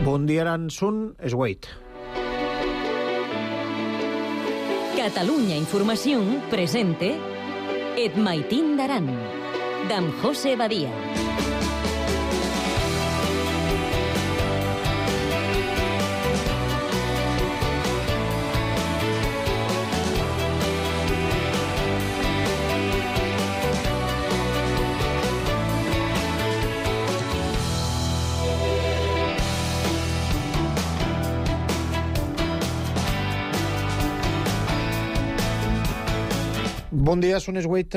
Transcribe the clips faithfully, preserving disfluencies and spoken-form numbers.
Bon dia, Aransun, es Wait. Catalunya Informació presente Et Maitín d'Aran, d'en José Badia. Bon dia, són les vuit.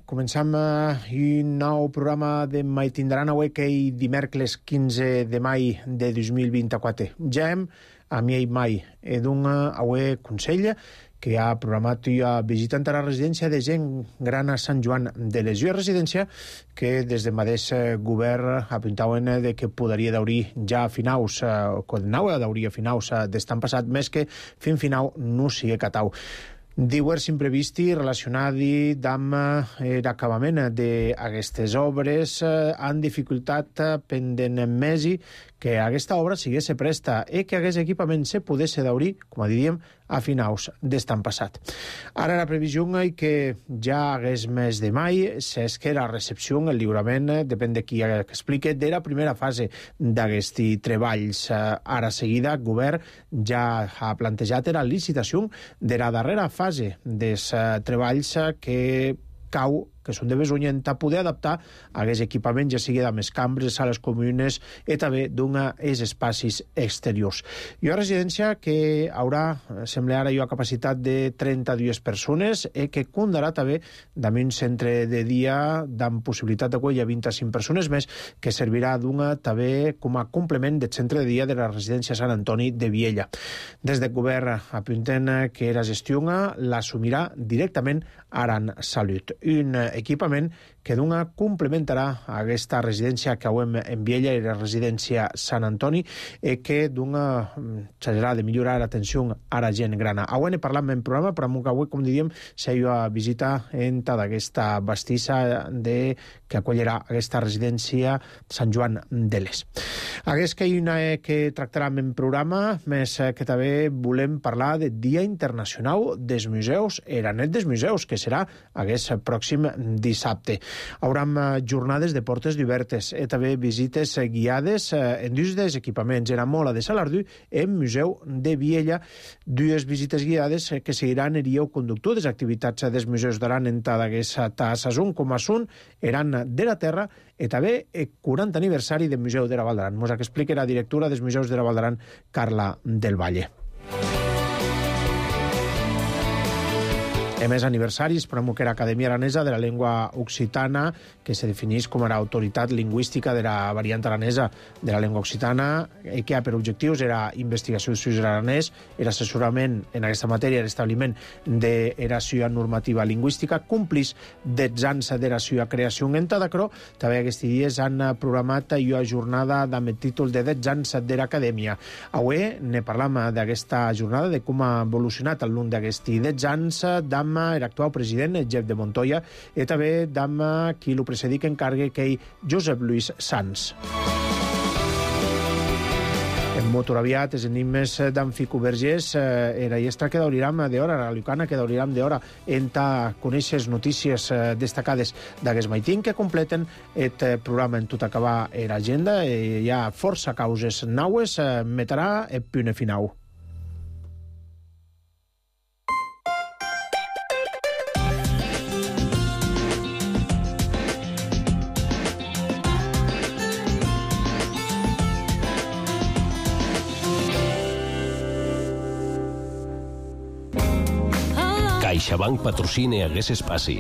Començam un nou programa de Maitín d'Aran avui que és dimecres quinze de maig de dos mil vint-i-quatre. Ja hem a mi i mai he d'un avui consell que ha programat una visita a la residència de gent gran a Sant Joan de les Lluís, residència que des del mateix govern apuntaven de que podria d'obrir ja a finals, o que anava d'obrir a finals d'estan passat, més que fins final no sigui catau. Divers imprevisti relacionats amb l'acabament d'aquestes obres han dificultat pendent mesi que aquesta obra sigués presta i que aquest equipament se pogués d'obrir, com a diríem, a finals d'estan passat. Ara la previsió és que ja hagués mes de mai, és que la recepció, el lliurament, depèn de qui explique, de la primera fase d'aquests treballs. Ara seguida, el govern ja ha plantejat la licitació de la darrera fase dels treballs que cau que són de Besunyent, a poder adaptar aquest equipament, ja sigui de més cambres, sales comunes, i també d'una els espais exteriors. Hi ha una residència que haurà, sembla ara, una capacitat de trenta-dues persones i que comptarà també amb un centre de dia amb possibilitat de que hi ha vint-i-cinc persones més, que servirà d'una també com a complement del centre de dia de la residència Sant Antoni de Viella. Des del govern apunten que la gestió l'assumirà directament Aran Salut, un equipament que d'una complementarà aquesta residència que avui en Viella i la residència Sant Antoni i que d'una serà de millorar l'atenció a la gent grana. Avui ne parlam en programa, però que avui, com diríem, s'ha a visita en d'aquesta bastissa de, que acollirà aquesta residència Sant Joan de l'Es. Aquest que hi ha una que tractarem en programa, més que també volem parlar del Dia Internacional dels Museus, era net dels museus, que serà aquest pròxim dissabte. Haurem jornades de portes obertes i també visites guiades en dos dels equipaments, en Mola de Salardú i en Museu de Viella, dues visites guiades que seguiran el guió conductor des activitats dels museus d'Aran en aquesta sason, com a són Aran de la Terra i també el quaranta aniversari del Museu de la Val d'Aran. Ens explica la directora dels Museus de la Val d'Aran, Carla del Valle. A més aniversaris, per a l'Acadèmia Aranesa de la Llengua Occitana, que se defineix com a l'autoritat lingüística de la variant aranesa de la llengua occitana, i que ha per objectius era investigació d'estudis aranès, era assessorament en aquesta matèria, l'establiment de la seva normativa lingüística, complís dotze anys de la seva creació en Tadacro. També aquests dies han programat una jornada amb el títol de dotze anys de l'Acadèmia. Avui ne parlam d'aquesta jornada, de com ha evolucionat al llarg d'aquests dotze anys, d'am l'actual president, Jeff de Montoya, i també d'am qui lo precedic encargue, que és Josep Lluís Sans. En motor aviat, els enigmes d'en Fico Vergés, era iestra que d'Auriram d'hora, la Lucana que d'Auriram d'hora, en ta conèixer notícies destacades d'aquest maitín que completen el programa en tot acabar l'agenda. Hi ha força causes naues, metrà el punt final. CaixaBank patrocina aquest espai.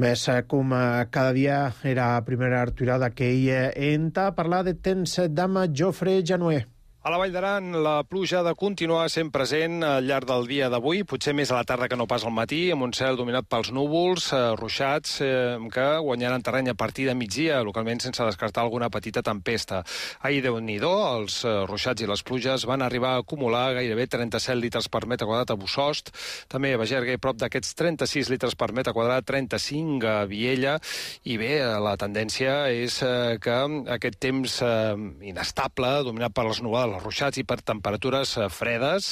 Més com cada dia era la primera arturada que hi enta a parlar de temps d'ama Jofre Januer. A la Vall d'Aran, la pluja ha de continuar sent present al llarg del dia d'avui, potser més a la tarda que no pas al matí, amb un cel dominat pels núvols, eh, ruixats, eh, que guanyaran terreny a partir de migdia, localment sense descartar alguna petita tempesta. Ahir, Déu-n'hi-do, els eh, ruixats i les pluges van arribar a acumular gairebé trenta-set litres per metre quadrat a Bussost, també a Bagerga i prop d'aquests trenta-sis litres per metre quadrat, trenta-cinc a Viella, i bé, la tendència és eh, que aquest temps eh, inestable, dominat per les nuvolades, els ruixats i per temperatures fredes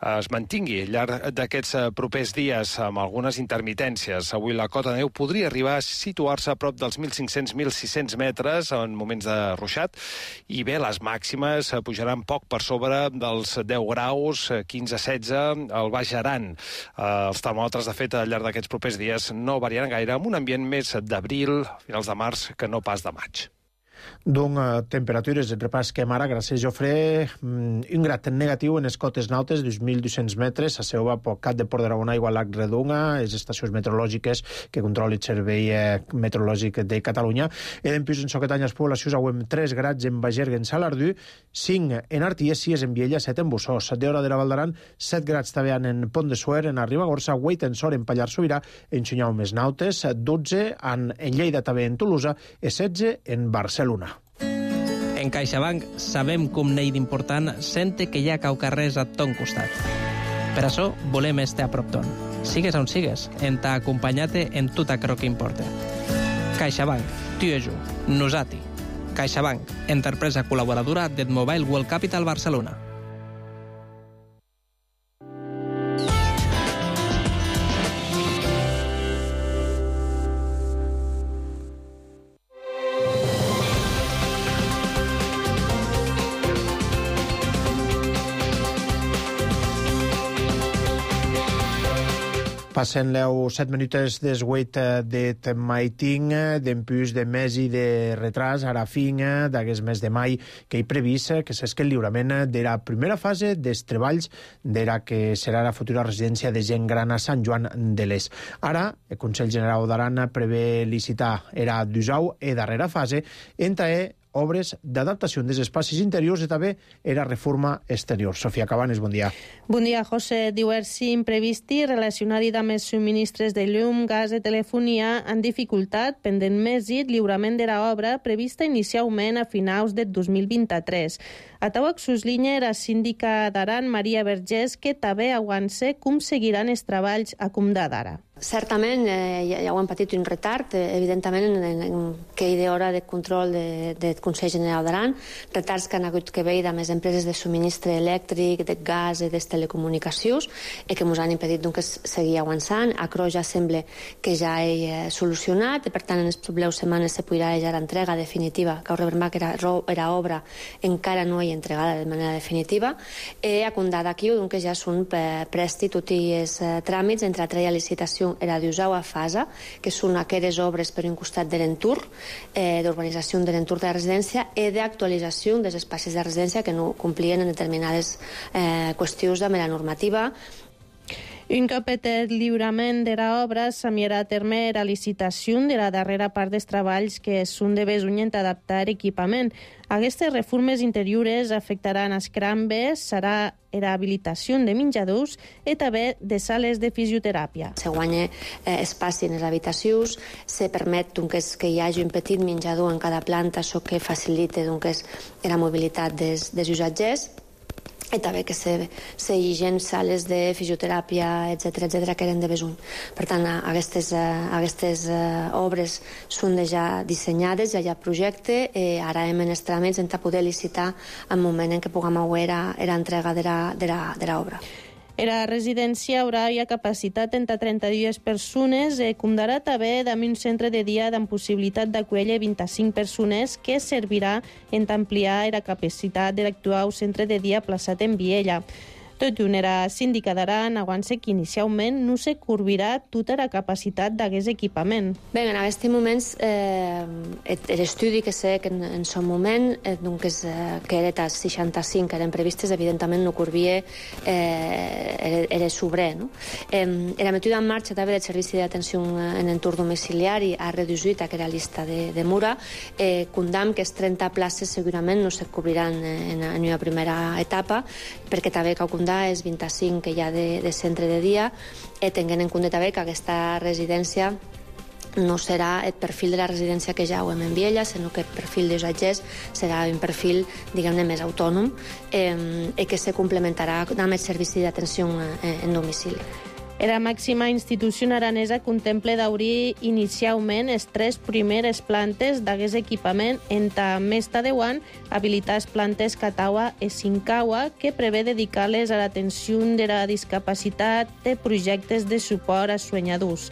es mantingui al llarg d'aquests propers dies amb algunes intermitències. Avui la cota de neu podria arribar a situar-se a prop dels mil cinc-cents a mil sis-cents metres en moments de ruixat i bé, les màximes pujaran poc per sobre dels deu graus, quinze a setze al Baix Aran. Els termòmetres, de fet, al llarg d'aquests propers dies no variaran gaire, amb un ambient més d'abril, finals de març, que no pas de maig. Doncs uh, temperatures, et repasquem ara, gràcies Jofre, um, un grat negatiu en les cotes nautes, dos mil dos-cents metres, a Seova, Pocat de Port d'Aragona, Igualac, Redonga, les estacions meteorològiques que controla el Servei eh, Meteorològic de Catalunya. E dempués en Soquetanyes, poblacions, auem tres grats en Bagerga, en Salardú, cinc en Arties, sis en Viella, set en Bussost, set d'hora de la Val d'Aran, set grats també en Pont de Suer, en Ribagorça, vuit en Sor, en Pallars Sobirà, en Xunyau més nautes, dotze en, en Lleida també en Tolosa, i setze en Barcelona. En CaixaBank sabem com n'hi d'important sente que hi ha caucarrers a ton costat. Per això volem estar a prop ton. Sigues on sigues, en t'ha acompanyat en tot aquello que importa. CaixaBank, tu i jo, nosati. CaixaBank, empresa col·laboradora del Mobile World Capital Barcelona. Passen leu set minutes des huit d'et maiting, d'empús de mes i de retras, ara fin d'aquest mes de mai que hi previst que s'esque el lliurament de la primera fase dels treballs de la que serà la futura residència de gent gran a Sant Joan de l'Est. Ara, el Consell General d'Aran prevé licitar era d'usau e darrera fase entre obres d'adaptació dels espais interiors i també era reforma exterior. Sofia Cabanes, bon dia. Bon dia, José. Diversi imprevisti relacionats amb els subministres de llum, gas i telefonia han dificultat pendent mèsit lliurament de l'obra prevista inicialment a finals del dos mil vint-i-tres. A Tauac Suslinya, la síndica d'Aran, Maria Vergés, que també aguanta com seguiran els treballs a Comda d'Ara. Certament, eh, ja, ja ho han patit un retard, eh, evidentment, en, en, en aquella hora de control del de, de Consell General d'Aran, retards que han hagut que veure amb les empreses de subministre elèctric, de gas i de telecomunicacions, i que ens han impedit doncs, seguir avançant. Acro ja sembla que ja he eh, solucionat, i per tant, en les properes setmanes se podrà ja l'entrega definitiva, que recordem que era, era obra, encara no hi entregada de manera definitiva, i a Condà d'aquí, doncs, ja són presti tots els eh, tràmits entre altra licitació era d'usau a fasa, que són aquelles obres per un costat de l'entorn, eh, d'urbanització de l'entorn de la residència i d'actualització dels espais de residència que no complien en determinades eh, qüestions de la normativa. Un cop el lliurament de l'obra s'enviarà a terme la licitació de la darrera part dels treballs que són de besunyent adaptar equipament. Aquestes reformes interiores afectaran els crambes, serà la habilitació de menjadors i també de sales de fisioteràpia. Se guanya eh, espai en les habitacions, se permet doncs, que hi hagi un petit menjador en cada planta, això que facilita doncs, la mobilitat dels, dels usatgers, i també que se, se higiene sales de fisioteràpia, etcètera, etcètera, que eren de besuny. Per tant, aquestes, aquestes obres són ja dissenyades, ja hi ha projecte, i ara hem en els tràmits en poder licitar el moment en què puguem veure l'entrega de l'obra. La residència haurà ja capacitat entre trenta-dues persones, eh, com d'ara també amb un centre de dia amb possibilitat d'acollir vint-i-cinc persones que servirà en ampliar la capacitat de l'actual centre de dia plaçat en Viella. Tot i una síndica d'Aran, aguança que inicialment no se corbirà tota la capacitat d'aquest equipament. Bé, en aquest moment, eh, l'estudi que sé que en, en son moment, eh, doncs, eh, que era les seixanta-cinc que eren previstes, evidentment no corbia eh, era, era sobre. No? Eh, la metuda en marxa també del Servici d'Atenció en entorn domiciliari ha reduït aquesta llista de, de Mura. Eh, condam que les trenta places segurament no se cobriran en, en una primera etapa, perquè també cal condar és vint-i-cinc que hi ha de, de centre de dia, eh, tenint en compte també que aquesta residència no serà el perfil de la residència que ja ho hem en Viella, sinó que el perfil dels agents serà un perfil, diguem-ne, més autònom eh, i que se complementarà amb el servici d'atenció en, en domicili. La màxima institució aranesa contempla d'obrir inicialment les tres primeres plantes d'aquest equipament entre més de deu anys habilitar les plantes Cataua i Sincaua, que prevé dedicar-les a l'atenció de la discapacitat de projectes de suport a soñadors.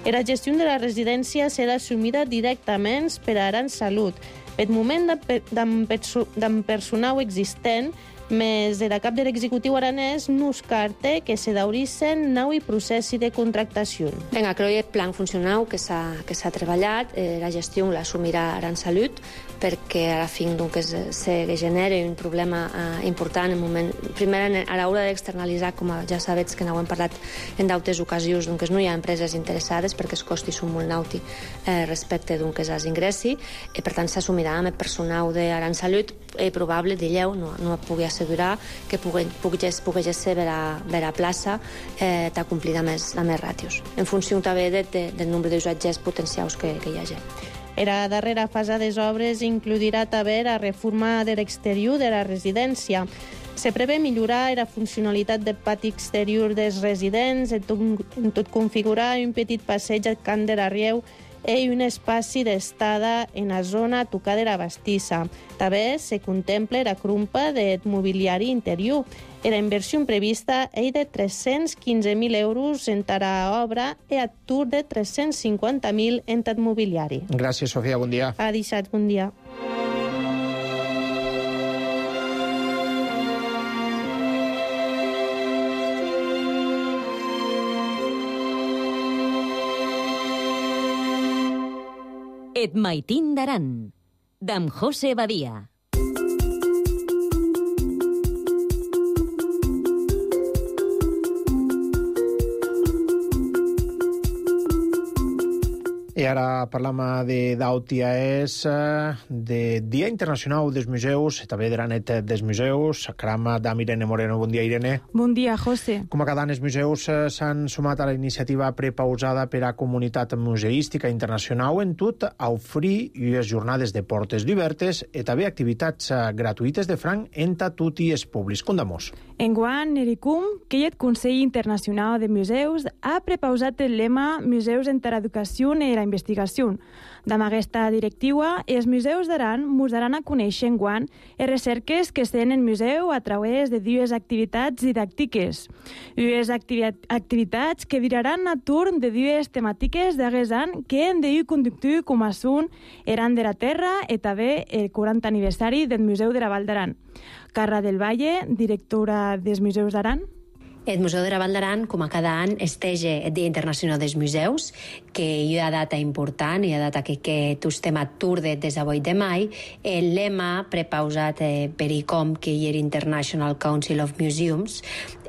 La gestió de la residència serà assumida directament per Aran Salut. Per moment d'en personal existent, més de la cap de l'executiu aranès no es carta que se daurissen nou i processi de contractació. Vinga, crec que el plan funcional que s'ha treballat, eh, la gestió l'assumirà Aran Salut, perquè a la fi doncs, se genera un problema eh, important en moment. Primer, a l'hora d'externalitzar, com ja sabeu que n'ho hem parlat en d'altres ocasions, doncs no hi ha empreses interessades perquè els costis són molt nauti eh, respecte doncs, als ingressi, i per tant s'assumirà amb el personal d'Aran Salut, és probable, digueu, no, no pugui assegurar que pugui, pugui, pugui ser per a, per a plaça eh, de complir amb més, amb més ràtios, en funció també de, de, del nombre d'usatgers potencials que, que hi hagi. La darrera fase de les obres inclourà també la reforma de l'exterior de la residència. Se prevé millorar la funcionalitat del pati exterior dels residents, en tot, en tot configurar un petit passeig al camp de la Rieu i un espaci d'estada en la zona tocada de la bastissa. També se contempla la crumpa del mobiliari interior. La inversió prevista és de tres-cents quinze mil euros en l'obra i a tour de tres-cents cinquanta mil en el mobiliari. Gràcies, Sofia. Bon dia. Ha deixat bon dia. Et maitin d'Aran, d'en José Badia. I ara parlam de d'Autiaès, de Dia Internacional dels Museus, també de la net dels museus. Caram d'am Irene Moreno. Bon dia, Irene. Bon dia, José. Com a cada any, els museus s'han sumat a la iniciativa prepausada per a comunitat museística internacional en tot a oferir unes jornades de portes obertes i també activitats gratuïtes de franc entre tot i els públics. Condamos. Enguany, Ericum, que hi ha el Consell Internacional de Museus, ha prepausat el lema Museus entre l'educació i la investigació. Amb aquesta directiva, els museus d'Aran mos daran a conèixer enguany les recerques que es tenen en museu a través de dues activitats didàctiques. Dues activitats que viraran a torn de dues temàtiques d'aquest any que hem de conductar com a són Aran de la Terra i també el quaranta aniversari del Museu de la Val d'Aran. Carla del Valle, directora dels Museus d'Aran. El Museu de la Val d'Aran, com a cada any, estege el Dia Internacional dels Museus, que hi ha data important, hi ha data que, que estem a Turde des de vuit de mai. El lema prepausat eh, per I C O M, que hi era International Council of Museums,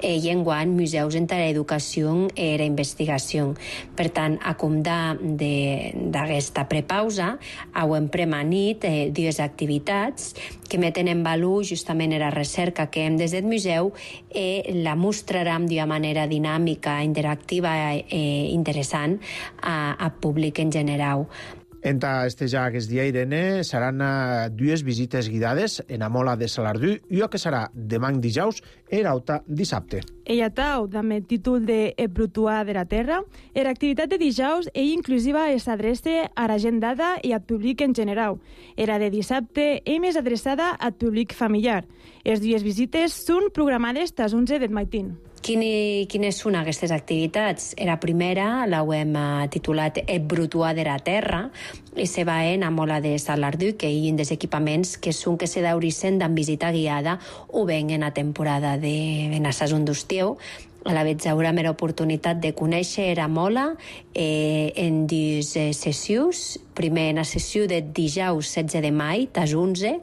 eh, i enguany Museus entre l'educació i la investigació. Per tant, a comptar d'aquesta prepausa, hem premanit eh, dues activitats que meten en valor justament la recerca que hem des del museu i la mostraran d'una manera dinàmica, interactiva i interessant a, a públic en general. Enta estejar aquest dia, Irene, seran uh, dues visites guidades en la Mola de Salardú i el que serà demà dijous i l'altre dissabte. Ella tau, amb el títol de El Brutuà de la Terra, l'activitat de dijous és inclusiva i s'adreça a la gent dada i al públic en general. Era de dissabte és més adreçada al públic familiar. Les dues visites són programades tas onze del matin. Quini, quines són aquestes activitats? La primera la hem titulat Et brutuar de la terra i se va en Amola de Salardú, que hi ha des equipaments que són que se dauricen d'en visita guiada o ben en la temporada de en la sason d'estiu. A la vegada haurem l'oportunitat de conèixer a Mola eh, en dues eh, sessions. Primer, en la sessió de dijous setze de maig, tas onze,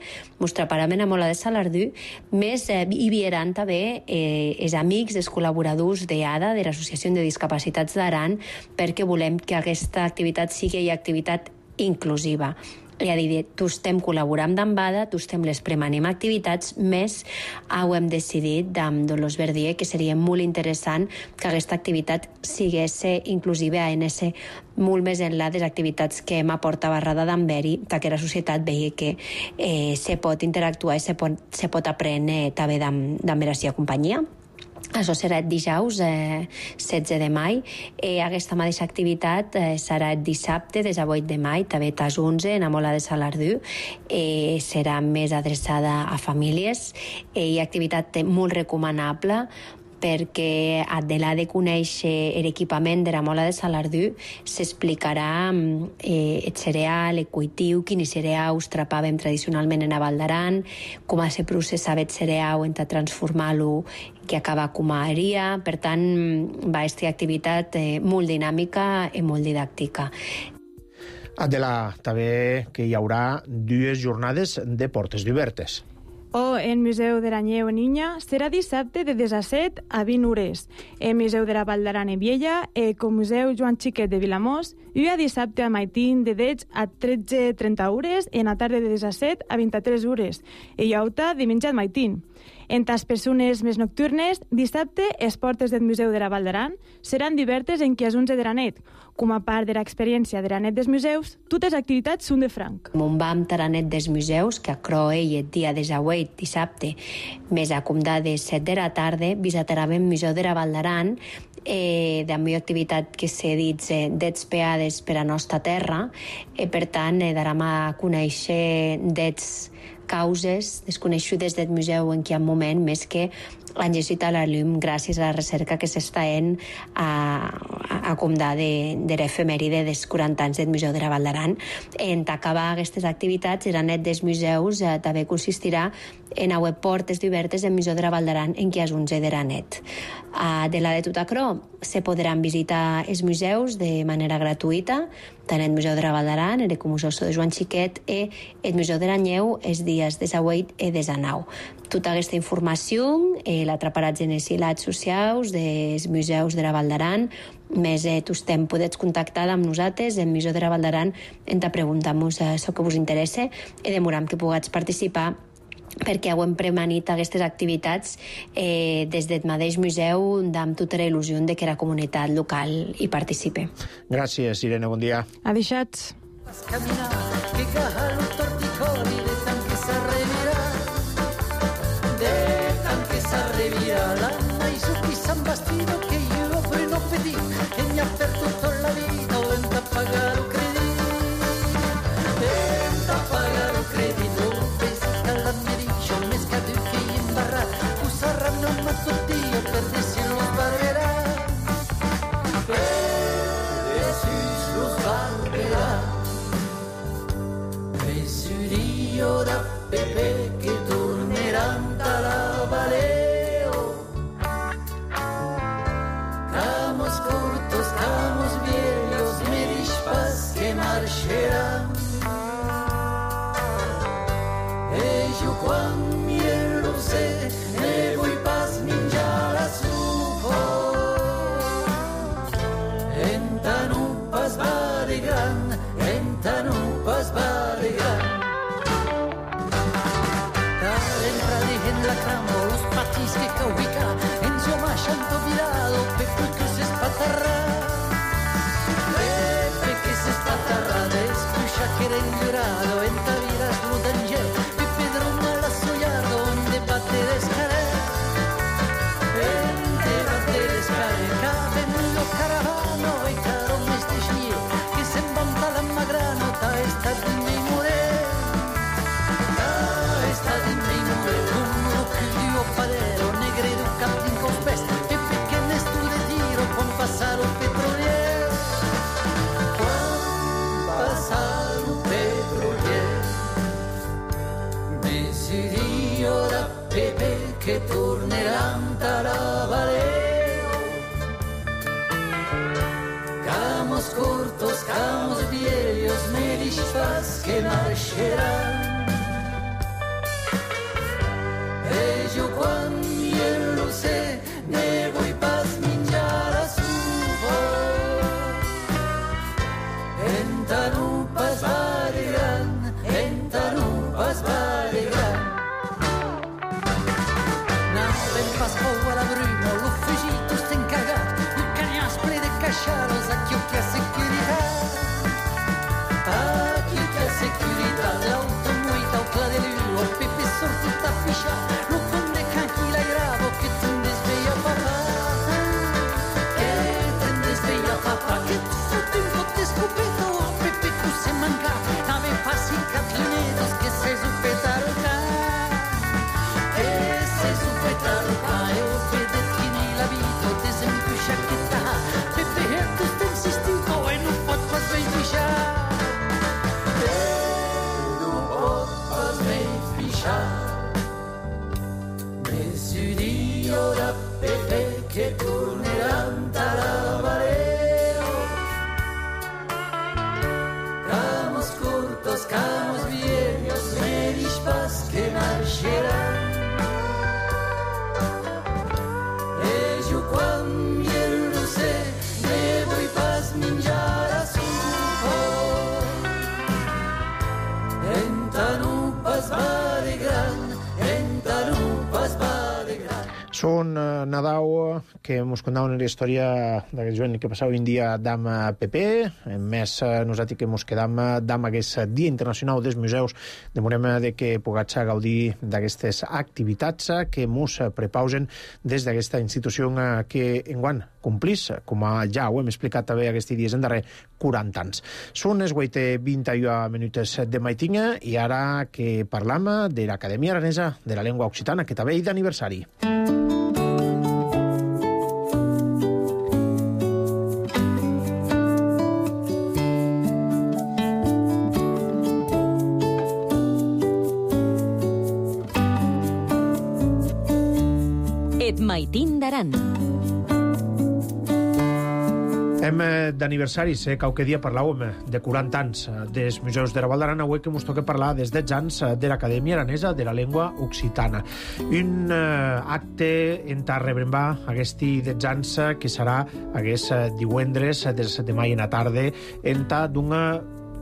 mos preparem a Mola de Salardú, més eh, hi vieran també eh, els amics, els col·laboradors d'A D A, de l'Associació de Discapacitats d'Aran, perquè volem que aquesta activitat sigui una activitat inclusiva. Ja dir, tu estem col·laborant amb A D A, tu estem les premanem activitats, més ho hem decidit amb Dolors Verdier que seria molt interessant que aquesta activitat sigués inclusiva en ese molt més enllà de les activitats que hem aportat barrada d'Amberi, perquè la societat vegi que eh, se pot interactuar i se pot, se pot aprendre també d'amb la seva companyia. Això serà el dijous eh, setze de maig. Eh, aquesta mateixa activitat eh, serà el dissabte des de vuit de maig, també tas onze, en Amola de Salardú. Eh, serà més adreçada a famílies eh, i activitat molt recomanable perquè adela de conèixer l'equipament de la Mola de Salardú s'explicarà eh, el cereal, el cultiu, quins cereals trapàvem tradicionalment en a Val d'Aran, com se processava el cereal en transformar-lo que acaba com a aria. Per tant, va estar activitat eh, molt dinàmica i molt didàctica. Adela, també que hi haurà dues jornades de portes obertes. O el Museu de l'Anyeu en Inya serà dissabte de disset a vint hores. El Museu de la Val d'Aran en Viella, el Ecomuseu Joan Xiquet de Vilamós, i a dissabte a Maitín de deu a tretze trenta hores, en la tarda de disset a vint-i-tres hores. I Iauta diumenge a Maitín. En les persones més nocturnes, dissabte, les portes del Museu de la Val d'Aran seran obertes en qui és onze de la nit. Com a part de l'experiència de la nit dels museus, totes les activitats són de franc. On vam a la nit dels museus, que a Croe i el dia de Jauet, dissabte, més a comptar de set de la tarda, visitarem el Museu de la Val d'Aran, eh, de la meva activitat que s'ha dit eh, d'expeades per a nostra terra, i per tant eh, darem a conèixer d'ets causes desconegudes del museu en quin moment, més que han llegit a la llum gràcies a la recerca que s'està fent a, a, a comptar de, de l'efemèride dels quaranta anys del Museu de la Val d'Aran. En acabar aquestes activitats, la net dels museus eh, també consistirà en a portes obertes del Museu de la Val d'Aran en què és onze de la net. Uh, de la de Tutacró se podran visitar els museus de manera gratuïta, tant el Museu de la Val d'Aran, el Ecomuseu de Joan Xiquet i el Museu de l'Anyeu els dies de Jauet i de nou. Tota aquesta informació eh, la traparats en els hilats socials dels museus de la Val d'Aran, més eh, tu estem, podets contactar amb nosaltres el Museu de la Val d'Aran en te preguntar-nos eh, això que vos interessa i demoram que pugats participar perquè ho hem premanit aquestes activitats eh, des del mateix museu amb tota la il·lusió de que la comunitat local hi participe. Gràcies, Irene, bon dia. Adeixats. Padero, negre, du cap din confest, Mesidio da Pepe che torneranno dalla Valeo. Camos cortos, camos viejos, me disfaz que marcherán. Ello cuando yo lo sé, me voy pas minjar a su voz. En tanupas va de gran, en tanupas va de gran. Não vem pas pou a la bruma, lo fugito está encargado, e o canhaspre de cacharos, aqui o que é seguridade. Aqui o que é seguridade, alto muito ao cladelho, o Pepe sorto está fichado. Són uh, Nadau, que mos contaven la història d'aquest jovent que passava un dia d'am P P. En més, uh, nosaltres que mos quedam d'am aquest Dia Internacional dels Museus, demorem de que puguem gaudir d'aquestes activitats que mos prepausen des d'aquesta institució que enguany complís, com ja ho hem explicat també aquests dies en darrer, quaranta anys. Són les vuit i vint-i-u minuts de maitinga i ara que parlam de l'Acadèmia Aranesa de la Llengua Occitana, que també hi d'aniversari. Et maitin d'aran. Hem d'aniversaris, eh? Qualque dia parlàvem de quaranta anys dels Museus de la Val d'Aran, avui que ens toca parlar dels deu anys de l'Acadèmia Aranesa de la Llengua Occitana. Un eh, acte en ta rebrembar aquests deu anys que serà aquest divendres de les set de maig en la tarda en ta d'una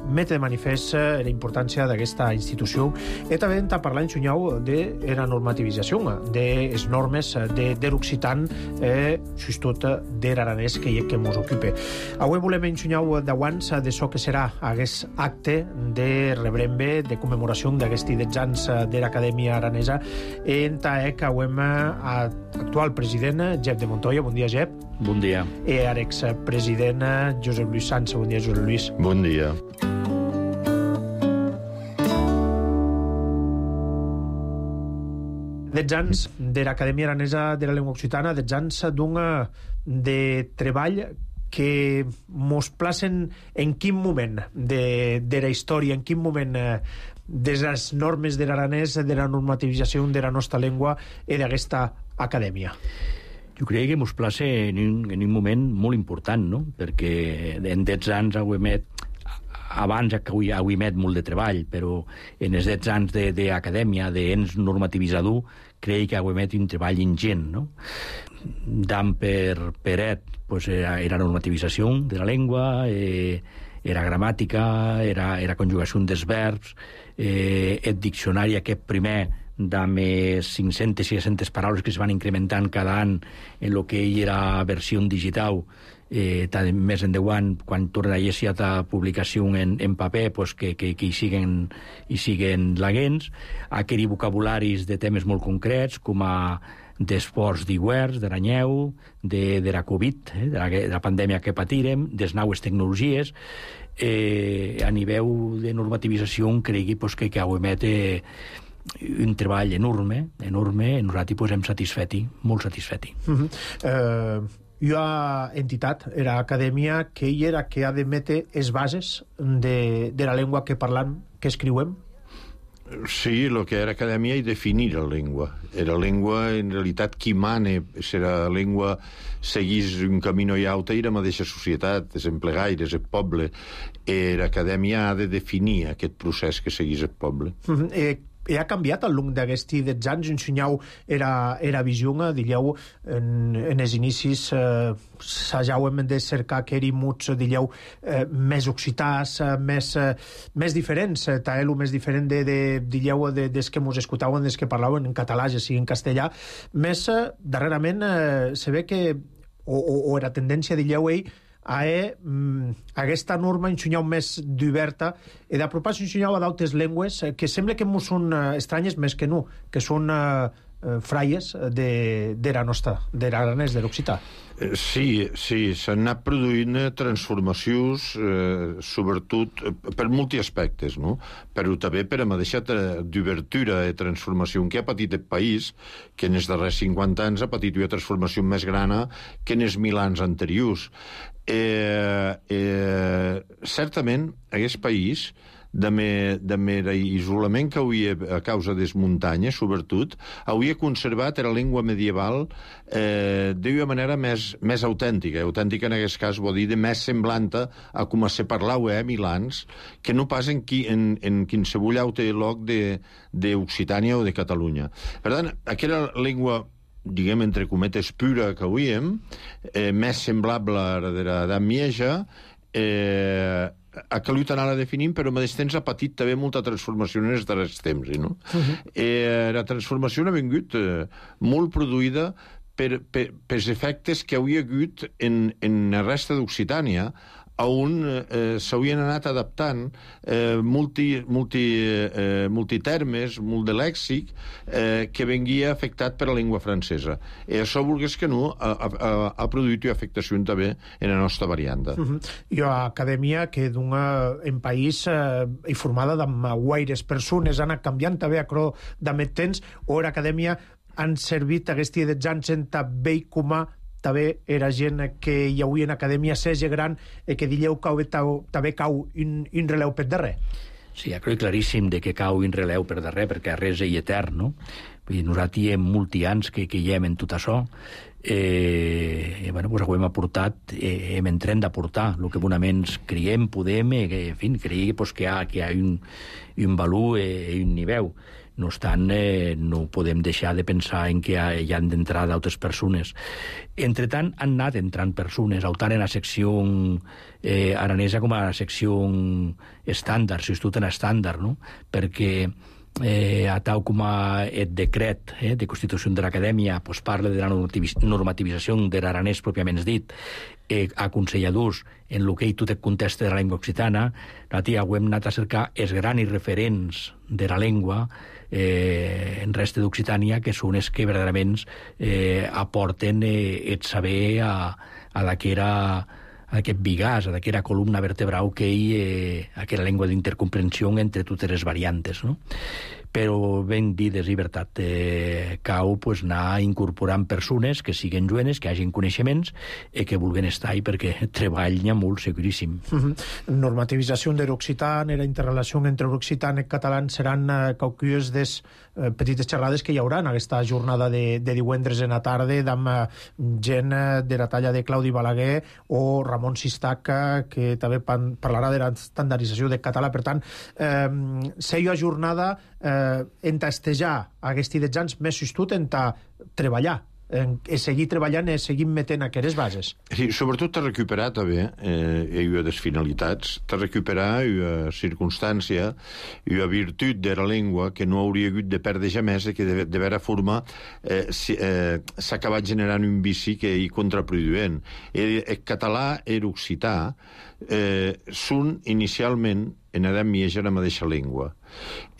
mete de manifest la importància d'aquesta institució i també hem de parlar en xunyau de la normativització de les normes de, de l'occitan eh, sobretot de l'aranès que hi ha que ens ocupa. Avui volem en xunyau d'abans de so que serà aquest acte de rebrembe, de commemoració d'aquests deu anys de l'Acadèmia Aranesa en ta que avem actual president Jep de Montoya. Bon dia, Jep. Bon dia. I l'expresident Josep Lluís Sança. Bon dia, Josep Lluís. Bon dia. Deu anys de l'Acadèmia Aranesa de la Llengua Occitana, deu anys d'un de treball que mos placen en quin moment de, de la història, en quin moment eh, de les normes de l'aranès, de la normativització de la nostra llengua i d'aquesta acadèmia. Jo crec que mos place en un, en un moment molt important, no? Perquè en deu anys auemet, abans auemet molt de treball, però en els deu anys d'acadèmia, d'ens normativitzador, crec que auemet un treball ingent, no? Dam per peret, pues era, era normativització de la llengua, eh, era gramàtica, era, era conjugació dels verbs, eh, el diccionari aquest primer de més cinc-centes i sis-centes paraules que es van incrementant cada any en el que era versió digital, eh, més en deu anys, quan torna a ser a publicació en, en paper, pues que, que, que hi siguen, hi siguen laguents, aquells vocabularis de temes molt concrets, com a d'esports d'iguers, d'aranyeu, de, de la Covid, eh, de, la, de la pandèmia que patirem, de les noves tecnologies, eh, a nivell de normativització cregui pues, que, que auemet eh, un treball enorme, enorme, i nosaltres pues, hem satisfeti, molt satisfeti. Uh-huh. Uh... Hi ha entitat, era acadèmia, que hi era que ha de metre les bases de, de la llengua que parlam, que escriuem? Sí, el que era acadèmia i definir la llengua. Era llengua, en realitat, qui mane, si la llengua seguís un camí i altre, i la mateixa societat, els emplegaires, el poble. Era acadèmia ha de definir aquest procés que seguís el poble. Mm-hmm. eh, I ha canviat al long d'aquests dotze anys? Ensenyau era, era visionga, digueu, en, en els inicis eh, s'hauem de cercar que eri muts, digueu, eh, més occitans, eh, més, eh, més diferents, eh, taelo més diferent de, de, digueu, de, des que mos escoltaven, des que parlaven en català, ja sigui en castellà. Més, eh, darrerament, eh, se ve que, o, o, o era tendència, digueu, ell, a eh, aquesta norma ensenyau més d'oberta i d'apropar-se ensenyau a d'altres llengües que sembla que mos són eh, estranyes més que no, que són eh, fraies de, de la nostra, de l'aranès, de l'occità. Sí, sí, s'han anat produint transformacions, eh, sobretot per molts aspectes, no? Però també per la mateixa d'obertura i transformació que ha patit el país, que en els darrers cinquanta anys ha patit una transformació més gran que en els mil anys anteriors. Eh, eh, certament, aquest país, de mer, de mer isolament que havia a causa de les muntanyes, sobretot, havia conservat la llengua medieval eh, d'una manera més, més autèntica. Autèntica, en aquest cas, vol dir de més semblant a com se parlava a mil anys, que no pas en, qui, en, en qualsevol altre lloc d'Occitània o de Catalunya. Per tant, aquella llengua, diguem, entre cometes, pura que havíem, eh, més semblable a la de l'edat mitjana, eh, ha calut anar a definir, però al mateix temps ha patit també molta transformació en els darrers temps. No? Uh-huh. eh, la transformació ha vingut eh, molt produïda per, per, per els efectes que havia hagut en, en la resta d'Occitània, on eh, s'havien anat adaptant eh, multi, multi, eh, multitermes, molt de lèxic, eh, que vengia afectat per la llengua francesa. I això, volgués que no, ha, ha, ha produït una afectació també en la nostra varianta. Uh-huh. I a acadèmia que d'una en país eh, i formada amb guaires persones, ha anat canviant també a cro d'amет temps, o era acadèmia han servit aquests dotze anys en també comà també era gent que hi havia en acadèmia seja gran i que dilleu cau, també cau un, un releu per darrer. Sí, ja crec claríssim de que cau un releu per darrer, perquè res és etern, no? Vull dir, nosaltres hi hem molts anys que, que hi hem en tot això, eh, i, bueno, pues ho hem aportat, eh, hem entret d'aportar el que bonament creiem, podem, eh, que, en fi, creiem pues, que hi ha, que hi ha un, un valor i eh, un nivell. No obstant, eh, no podem deixar de pensar en que hi, ha, hi han d'entrar d'altres persones. Entretant, han anat entrant persones, tant en la secció eh, aranesa com a la secció estàndard, si tot en estàndard, no? Perquè eh, a tal com a el decret eh, de constitució de l'acadèmia pues, parla de la normativització de l'aranès pròpiament dit, eh, aconselladors en el que tu te contesta de la llengua occitana, nosaltres ho hem anat a cercar els grans referents de la llengua eh, en resta d'Occitània, que són els que verdaderament eh, aporten eh, el saber a, a la que era a aquest bigàs, a aquella columna vertebral que hi eh, aquella llengua d'intercomprensió entre totes les variantes, no? Però ben dit, és veritat, eh, cau pues, anar incorporant persones que siguen jovenes, que hagin coneixements i que vulguen estar hi perquè treballen molt seguríssim. Uh-huh. Normativització de l'occità, la interrelació entre l'occità i el català seran eh, qualques des eh, petites xerrades que hi haurà en aquesta jornada de, de divendres en la tarda amb eh, gent eh, de la talla de Claudi Balaguer o Ramon Sistaca, que també pan, parlarà de la estandardització del català. Per tant, eh, seia jornada eh, entastejar aquests dotze anys més justut en treballar, en, en seguir treballant i seguir metent aquestes bases. Sí, sobretot t'ha recuperat també eh, una de les finalitats, t'ha recuperat una circumstància i una virtut de la llengua que no hauria hagut de perdre jamais i que de, de vera forma eh, si, eh, s'ha acabat generant un vici que hi contraproduent. El, el català i l'occità eh, són inicialment en edat mitja la mateixa llengua.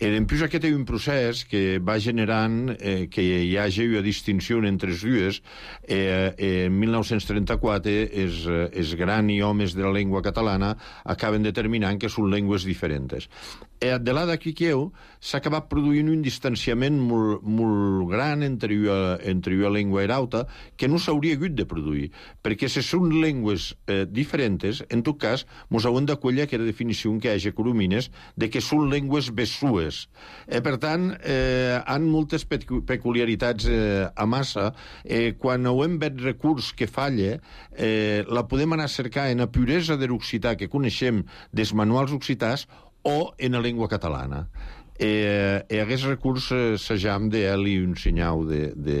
I en plus aquest és un procés que va generant eh, que hi hagi una distinció entre les dues. Eh, eh, en mil nou-cents trenta-quatre els, els grans homes de la llengua catalana acaben determinant que són llengües diferents. Eh, de là d'aquí que s'ha acabat produint un distanciament molt, molt gran entre una, entre una llengua i l'altra que no s'hauria hagut de produir, perquè si són llengües eh, diferents, en tot cas cas, mos hauen d'acollir aquella definició que hi ha coromines de que són llengües bessues. Eh, per tant, eh, han moltes peculiaritats eh, a massa. Eh, quan ho hem vet recurs que falla, eh, la podem anar a cercar en la puresa de l'occità que coneixem dels manuals occitans o en la llengua catalana. Eh, e aquest recurs eh, s'ajam d'ell i un senyal de, de,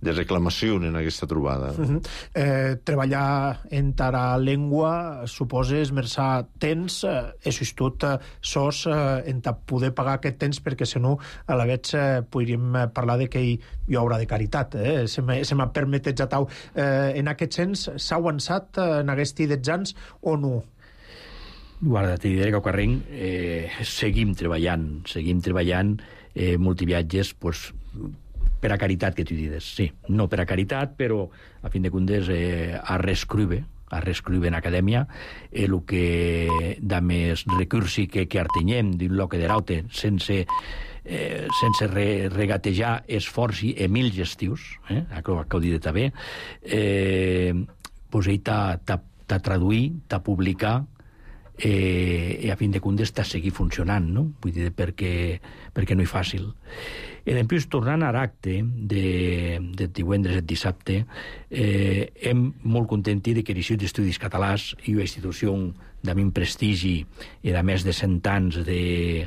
de reclamació en aquesta trobada. Uh -huh. eh, treballar en la llengua suposa esmerçar temps, eh, això és tot, eh, sos, eh, en poder pagar aquest temps, perquè si no a la vegada eh, podríem parlar de que hi, hi ha obra de caritat, eh? se m'ha permetet ja tau. Eh, en aquest sens s'ha avançat eh, en aquests dotze anys o no? Guarda, te diré que a Carrenc eh, seguim treballant, seguim treballant eh, multiviatges, pues, per a caritat, que tu dides, sí. No per a caritat, però, a fin de comptes, eh, a reescriure, a reescriure en acadèmia, el eh, que de més recursi que, que artenyem d'un loc de raute, sense, eh, sense re, regatejar esforç i mil gestius, eh, que ho dit també, eh, pues ell t'ha traduït, t'ha publicat, Eh, i a fin de comptes està seguir funcionant, no? Vull dir, perquè, perquè no és fàcil. I després, tornant a l'acte de, de divendres i dissabte, eh, hem molt contenti de que l'Institut d'Estudis Catalans i una institució de min prestigi i de més de cent anys de,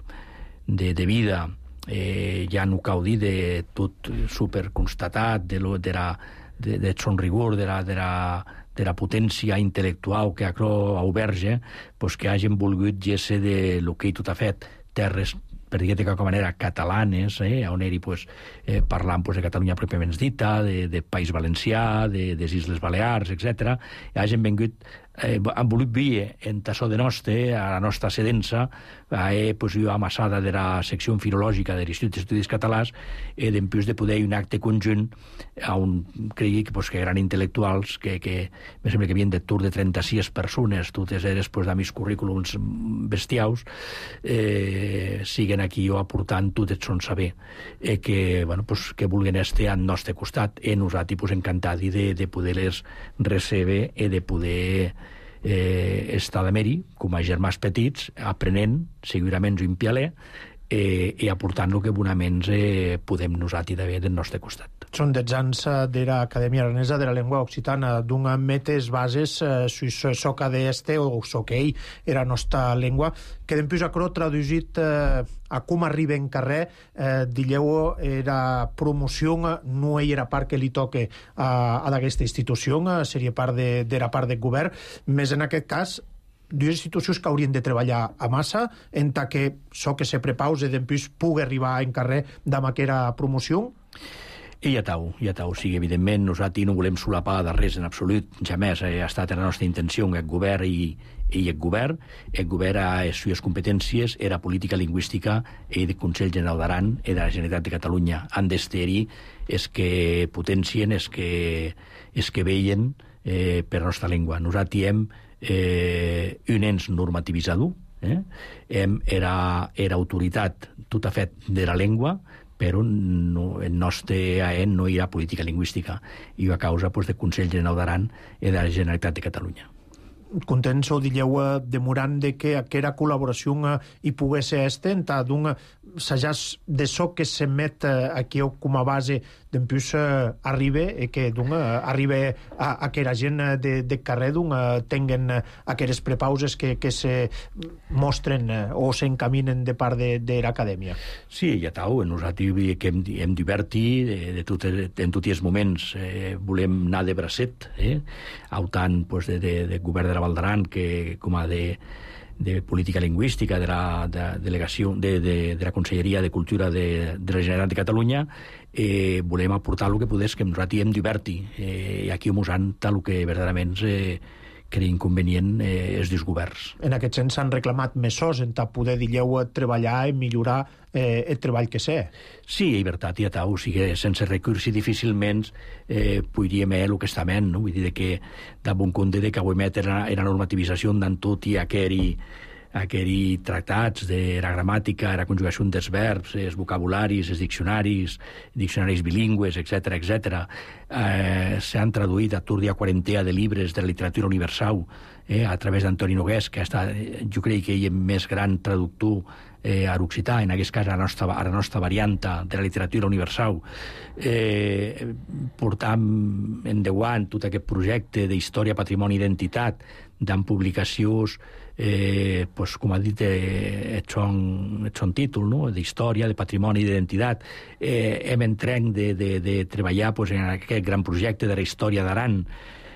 de, de vida, eh, ja no cal dir de tot superconstatat, de, lo, de, la, de, de son rigor, de la, de la de la potència intel·lectual que acro auberge, pues que hagin volgut gesse de lo que tot ha fet, terres, per dir-te de qualque manera, catalanes, eh, on eri pues, eh, parlant pues, de Catalunya pròpiament dita, de, de País Valencià, de, de les Isles Balears, etcètera. I hagin vengut, eh, han volut vir en tassó de nostre, a la nostra sedença, eh, pues, jo amassada de la secció filològica de l'Institut d'Estudis Catalans, eh, d'empús de poder un acte conjunt on cregui que, pues, que eren intel·lectuals, que, que me sembla que havien de tur de trenta-sis persones, totes eres pues, de mis currículums bestiaus, eh, siguen aquí jo aportant tot el son saber, eh, que, bueno, pues, que vulguen estar al nostre costat, i nosaltres pues, encantats de, de poder-les recebre i de poder eh, estar de meri, com a germans petits, aprenent, segurament un pialer, eh, i aportant el que bonament eh, podem nosaltres d'haver del nostre costat. Són dotze anys de l'Acadèmia Aranesa de la Llengua Occitana, d'un metes bases eh, sus soca d'este o soquei era nostra llengua, que dempús acro traduït eh, a com arriba en carrer, eh, dilleu era promoció, no era part que li toque a, a d'aquesta institució, seria part de, de la part del govern, més en aquest cas dues institucions que haurien de treballar a massa en ta que so que se prepause dempús pugui arribar en carrer d'ama aquera promoció. I ja tau, ja tau. O sigui, evidentment, nosaltres no volem solapar de res en absolut, jamés ha estat la nostra intenció el govern i, i el govern. El govern a les seves competències era política lingüística i del Consell General d'Aran i de la Generalitat de Catalunya. Han d'estar-hi és que potencien, és que, és que veien eh, per la nostra llengua. Nosaltres hem eh, un ens normativitzador, eh? hem, era, era autoritat tot a fet de la llengua, però no, el nostre A E N no hi ha política lingüística i a causa pues, del Consell General d'Aran i de la Generalitat de Catalunya. Contents o dilleu demorant de que aquera col·laboració hi pogués ser estenta, d'un s'ajàs de so que s'emet aquí com a base d'empús arriba i que d'un arriba a aquella gent de, de carrer d'un tinguen aquelles prepauses que, que se mostren o s'encaminen de part de, de l'acadèmia. Sí, ja tau, nosaltres que hem, hem divertit de, de tot, en tots els moments eh, volem anar de bracet, eh? autant pues, de, de, de govern de la Val d'Aran que com a de de política lingüística de la de delegació de, de, de la Conselleria de Cultura de, de la Generalitat de Catalunya, eh, volem aportar el que podés que nosaltres hem divertit eh, i aquí musant el que verdaderament eh, creiem convenient eh, els dos governs. En aquest sens s'han reclamat mesos en ta poder dilleu treballar i millorar eh, el treball que sé. Sí, i veritat, ja tau, o sigui, sense recursos difícilment eh, podríem el que estament, no? Vull dir que de bon compte de que avui era, era normativització d'en tot i aquell aquells tractats de la gramàtica, la conjugació dels verbs, els vocabularis, els diccionaris, diccionaris bilingües, etcètera, etcètera. Eh, s'han traduït a Turdia quarantea de llibres de la literatura universal eh, a través d'Antoni Nogués, que ha estat, jo crec que ell és més gran traductor eh, a l'occità, en aquest cas a la nostra, a la nostra varianta de la literatura universal. Eh, portam en deu anys tot aquest projecte d'història, patrimoni i identitat, d'en publicacions, eh, pues, com ha dit, eh, et son, et son títol, no? D'història, de patrimoni i d'identitat. Eh, hem entrenc de, de, de treballar pues, en aquest gran projecte de la història d'Aran.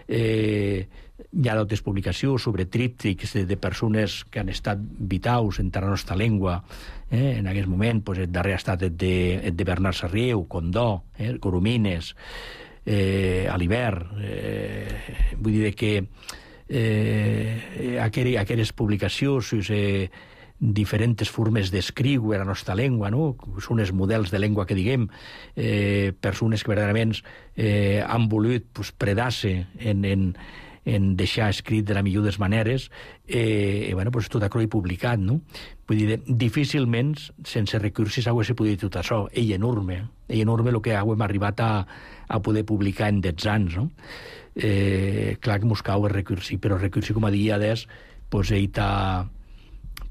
Eh, hi ha d'altres publicacions sobre tríptics de, de persones que han estat vitals en la nostra llengua. Eh, en aquest moment, pues, el darrer ha estat el de, el de Bernat Sarrieu, Condó, eh, Coromines, eh, Alibert. Eh, vull dir que eh, aquelles, aquelles publicacions, eh, diferents formes d'escriure la nostra llengua, no? Són els models de llengua que diguem, eh, persones que verdaderament eh, han volut pues, predar-se en, en, en deixar escrit de la millor de les maneres, eh, i bueno, pues, tot això he publicat, no? Vull dir, difícilment, sense recursos, hagués pogut dir tot això. Ell enorme, ell enorme el que hem arribat a, a poder publicar en deu anys, no? Eh, clar que mos cau el recursi, però el recursi, com a dia d'és, pues, ell t'ha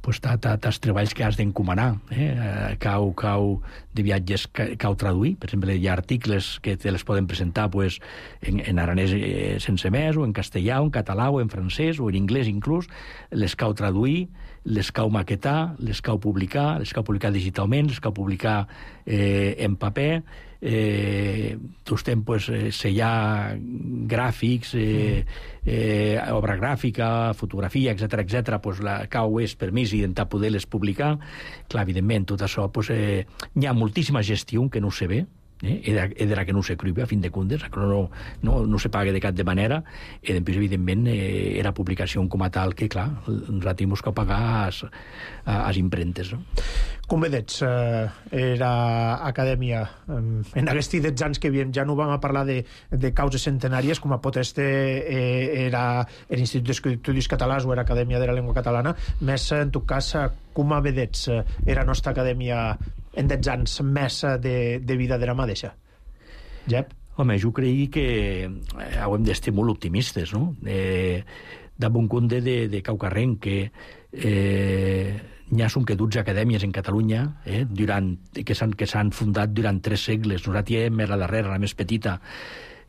pues, els treballs que has d'encomanar. Eh? Cau, cau de viatges que cau traduir. Per exemple, hi ha articles que te les poden presentar pues, en, en aranès eh, sense més, o en castellà, o en català, o en francès, o en anglès inclús. Les cau traduir, les cau maquetar, les cau publicar, les cau publicar digitalment, les cau publicar eh, en paper. Eh, tot estem pues, sellar gràfics, eh, eh, obra gràfica, fotografia, etcètera, etcètera, pues, la cau és permís d'intentar poder-les publicar. Clar, evidentment, tot això, pues, eh, hi ha moltíssima gestió que no se ve, eh? E de la que no s'escriu, a fin de comptes, no, no, no se paga de cap de manera, i després, evidentment, eh, era publicació com a tal que, clar, nosaltres hem de pagar a les impremtes. No? Com vedets, eh, era acadèmia, eh, en aquests deu anys que havíem, ja no vam a parlar de, de causes centenàries, com a pot este eh, era l'Institut d'Estudis Catalans o era Acadèmia de la Llengua Catalana, més, en tot cas, com a vedets, eh, era nostra acadèmia en deu anys més de, de vida de la mateixa. Jep? Home, jo crec que eh, hem d'estar molt optimistes, no? Eh, de bon compte de, de Caucarrenc, que eh, n'hi ha són que dotze acadèmies en Catalunya eh, durant, que s'han fundat durant tres segles. Nosaltres hem la darrera, la més petita.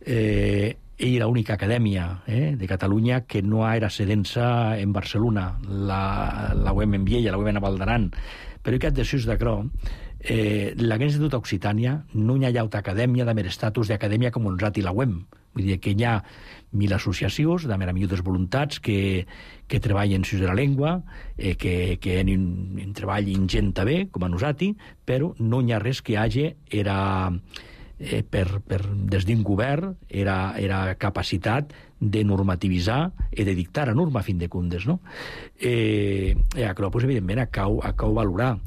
Eh, ell era l'única acadèmia eh, de Catalunya que no era sedent-se en Barcelona. La, la U E M en Viella, la U E M en Val d'Aran. Però que després d'això, eh, l'Agència Institut Occitània no hi ha altra acadèmia de mer estatus d'acadèmia com nosaltres la U E M. Vull dir que hi ha mil associacions de més millors voluntats que, que treballen sobre la llengua, eh, que, que en un, un treball ingent bé, com a nosaltres, però no hi ha res que hagi era, eh, per, per, des d'un govern era, era capacitat de normativitzar i de dictar a norma a fin de comptes, no? Eh, eh, això, pues, evidentment, a cau, a cau valorar.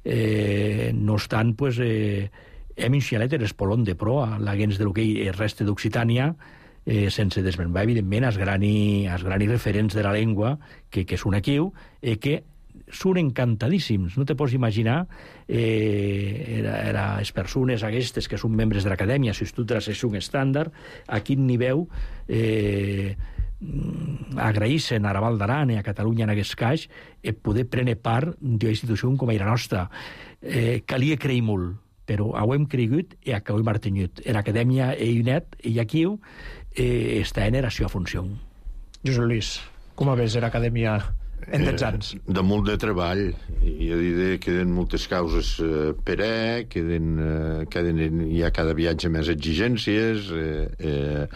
Eh, no obstant, pues, eh, hem iniciat l'espolon de proa, l'agents de lo que el reste d'Occitània, eh, sense desmenvar, evidentment, els grani, els grani referents de la llengua, que, que són aquí, eh, que són encantadíssims. No te pots imaginar eh, era, era les persones aquestes que són membres de l'acadèmia, si tu de la sessió estàndard, a quin nivell eh, agraïssen a la Val d'Aran i a Catalunya en aquest cas eh, poder prendre part d'una institució com a la nostra. Eh, calia creir molt, però ho hem cregut i ho hem mantingut. En l'acadèmia i UNED i aquí eh, està en la seva funció. Josep Luis, com a ves l'acadèmia en deu anys? Eh, de molt de treball. Jo diré que queden moltes causes eh, per a, queden, eh, queden, hi ha cada viatge més exigències, eh, eh,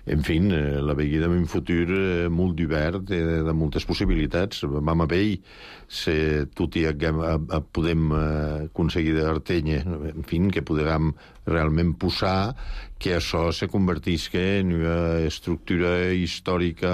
en fi, eh, la veguida en un futur eh, molt divert, eh, de moltes possibilitats. Vam a veure si tot i que podem eh, aconseguir d'Artenya, en fi, que podem realment posar que això se convertisca en una estructura històrica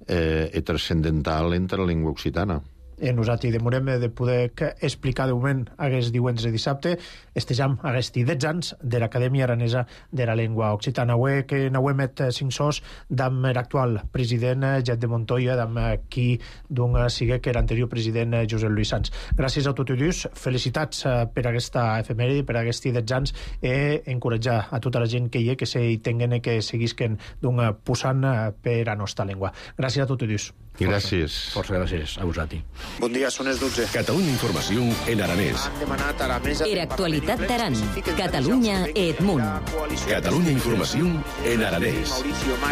eh, i transcendental entre la llengua occitana. E nosaltres demorem de poder explicar de moment aquest diumentre i dissabte estejam aquests dotze anys de l'Acadèmia Aranesa de la Llengua Occitana. Avui que n'auem met cinc sos d'am l'actual president Jet de Montoya, d'am qui d'un sigue que era anterior president Josep Lluís Sans. Gràcies a tots ells, felicitats per aquesta efemèride, per aquests dotze anys, i encoratjar a tota la gent que hi ha que se hi tinguen i que seguisquen d'un posant per a nostra llengua. Gràcies a tots ells. Gràcies. Força gràcies a vosaltres. Bon dia, són les dotze. Catalunya Informació en aranès. Han demanat a la mesa... Era actualitat d'Aran. Catalunya e Edmunt. Catalunya Informació en aranès.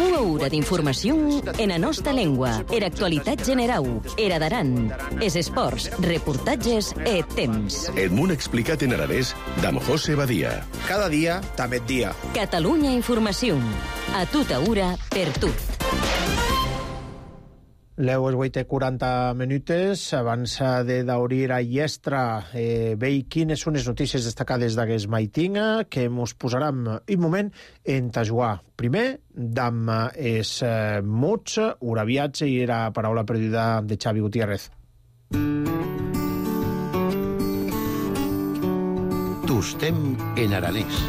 Una hora d'informació en la nostra llengua. Era actualitat general. Era d'Aran. Es esports, reportatges e temps. Edmunt explicat en aranès d'am José Badia. Cada dia, també dia. Catalunya Informació. A tota hora, per tot. Leu és vuit i quaranta minutes. Abans de d'obrir a Llestra, eh, veig quines són les notícies destacades d'aquest maitinga que mos posarem un moment en tajuar. Primer, d'am es eh, mots, uraviats i era paraula perduda de Xavi Gutiérrez. Tostem en aranès.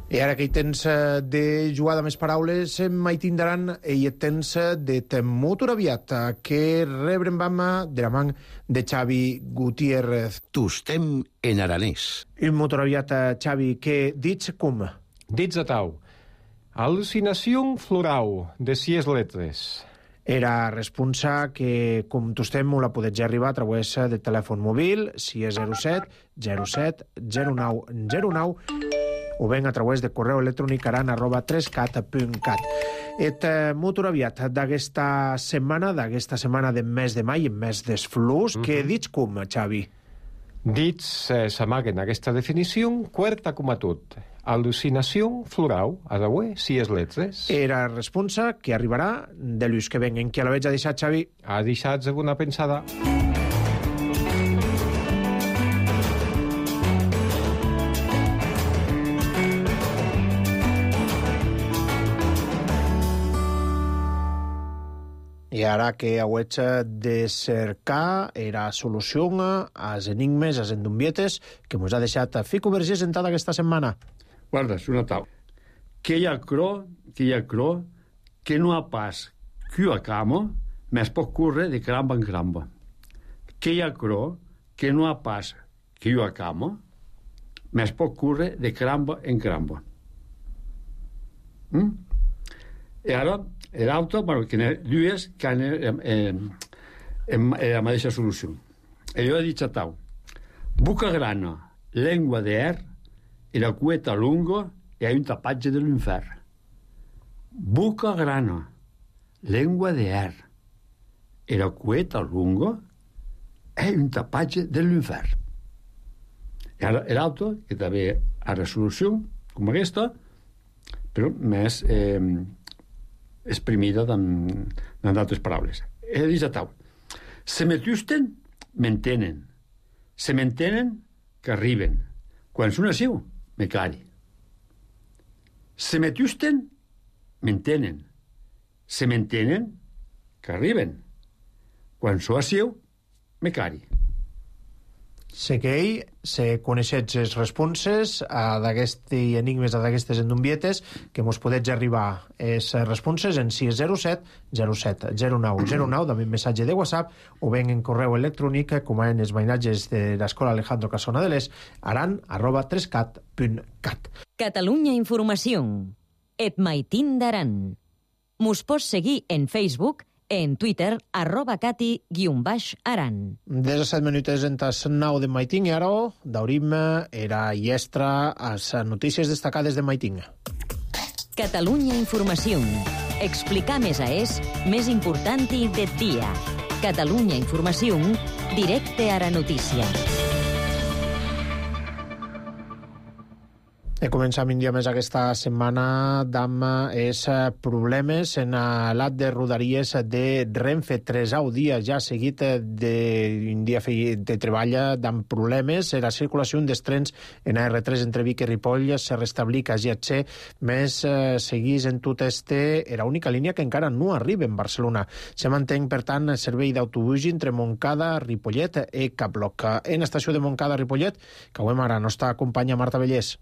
I ara que hi tens de jugar de més paraules, mai tindran i hi tens de temut uraviat que rebrem vam de la man de Xavi Gutiérrez. Tostem en aranès. Il mot uraviat, Xavi, que dits com? Dits a tau. Al·lucinació florau, de sis letres. Era responsa que, com tostem, la podets arribar a través del telèfon mòbil, si és zero set zero set zero nou zero nou, o ben a través de correu electrònic aran arroba tres cat punt cat. Et eh, molt aviat d'aquesta setmana, d'aquesta setmana de mes de mai, mes d'esflus, mm -hmm. que dits com, Xavi? Dits eh, s'amaguen aquesta definició, quarta com a tot. Al·lucinació florau, a deuer, sis letres. Era responsa que arribarà de l'ús que venguen. Qui a la veig ha deixat, Xavi? Ha deixat alguna pensada. I ara que hauets de cercar era solució als enigmes, als endumbietes, que mos ha deixat Fico Vergés en tota aquesta setmana. Guarda, és una tau. Que hi ha cro, que hi ha cro, que no ha pas que a camo, més pot curre de cramba en cramba. Que hi ha cro, que no ha pas que jo a camo, més pot curre de cramba en cramba. Mm? I ara, l'altre, bueno, que n'hi ha dues que han eh, eh, eh, la mateixa solució. I jo he dit a tau, boca grana, llengua d'air, i la cueta lunga i ha un tapatge de l'infern. Boca grana, llengua d'air, i la cueta lunga i un tapatge de l'infern. I ara l'altre, que també ha la solució, com aquesta, però més eh, exprimida en d'altres paraules. He dit a tau, se m'atusten, m'entenen. Se m'entenen, que arriben. Quan són asiu, me clari. Se m'atusten, m'entenen. Se m'entenen, que arriben. Quan són asiu, me clari. Sé que ell se coneixets les responses d'aquests enigmes, d'aquestes endumbietes, que mos podets arribar les responses en sis zero set zero set zero nou zero nou, també un missatge de WhatsApp, o ben en correu electrònic, com en els mainatges de l'Escola Alejandro Casona de l'Es, aran arroba tres cat punt cat. Catalunya Informació. Et maitín d'Aran. Mos pots seguir en Facebook, en Twitter, arroba cati guion baix aran. disset minuts en tas nou de Maiting i ara d'obrim era Llestra a les notícies destacades de Maiting. Catalunya Informació. Explicar més a és més important i de dia. Catalunya Informació, directe a la notícia. E començam un dia més aquesta setmana amb els problemes en l'at de Rodalies de Renfe. Tresau dia ja seguit d'un dia de treball amb problemes. La circulació dels trens en A R tres entre Vic i Ripoll se restablica a G H C, més seguís en tot este era única línia que encara no arriba en Barcelona. Se mantén, per tant, el servei d'autobús entre Montcada, Ripollet i Caploc. En l'estació de Montcada-Ripollet, que avui ara no està acompanya Marta Vellés.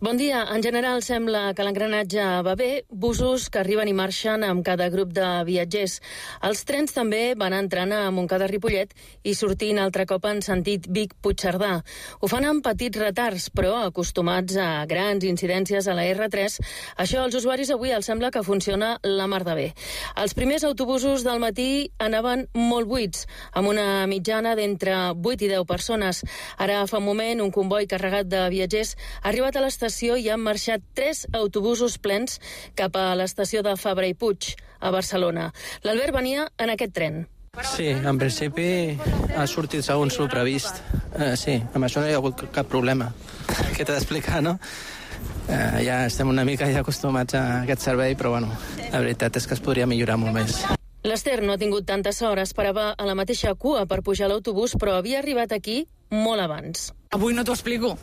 Bon dia. En general sembla que l'engranatge va bé, busos que arriben i marxen amb cada grup de viatgers. Els trens també van entrant a Montcada-Ripollet i sortint altre cop en sentit Vic-Puigcerdà. Ho fan amb petits retards, però acostumats a grans incidències a la R tres, això als usuaris avui els sembla que funciona la mar de bé. Els primers autobusos del matí anaven molt buits, amb una mitjana d'entre vuit i deu persones. Ara fa un moment un comboi carregat de viatgers ha arribat a l'estació i han marxat tres autobusos plens cap a l'estació de Fabra i Puig, a Barcelona. L'Albert venia en aquest tren. Sí, en principi ha sortit segons el previst. Eh, sí, amb això no hi ha hagut cap problema. Què t'he d'explicar, no? Eh, ja estem una mica ja acostumats a aquest servei, però bueno, la veritat és que es podria millorar molt més. L'Ester no ha tingut tanta sort, esperava a la mateixa cua per pujar a l'autobús, però havia arribat aquí molt abans. Avui no t'ho explico.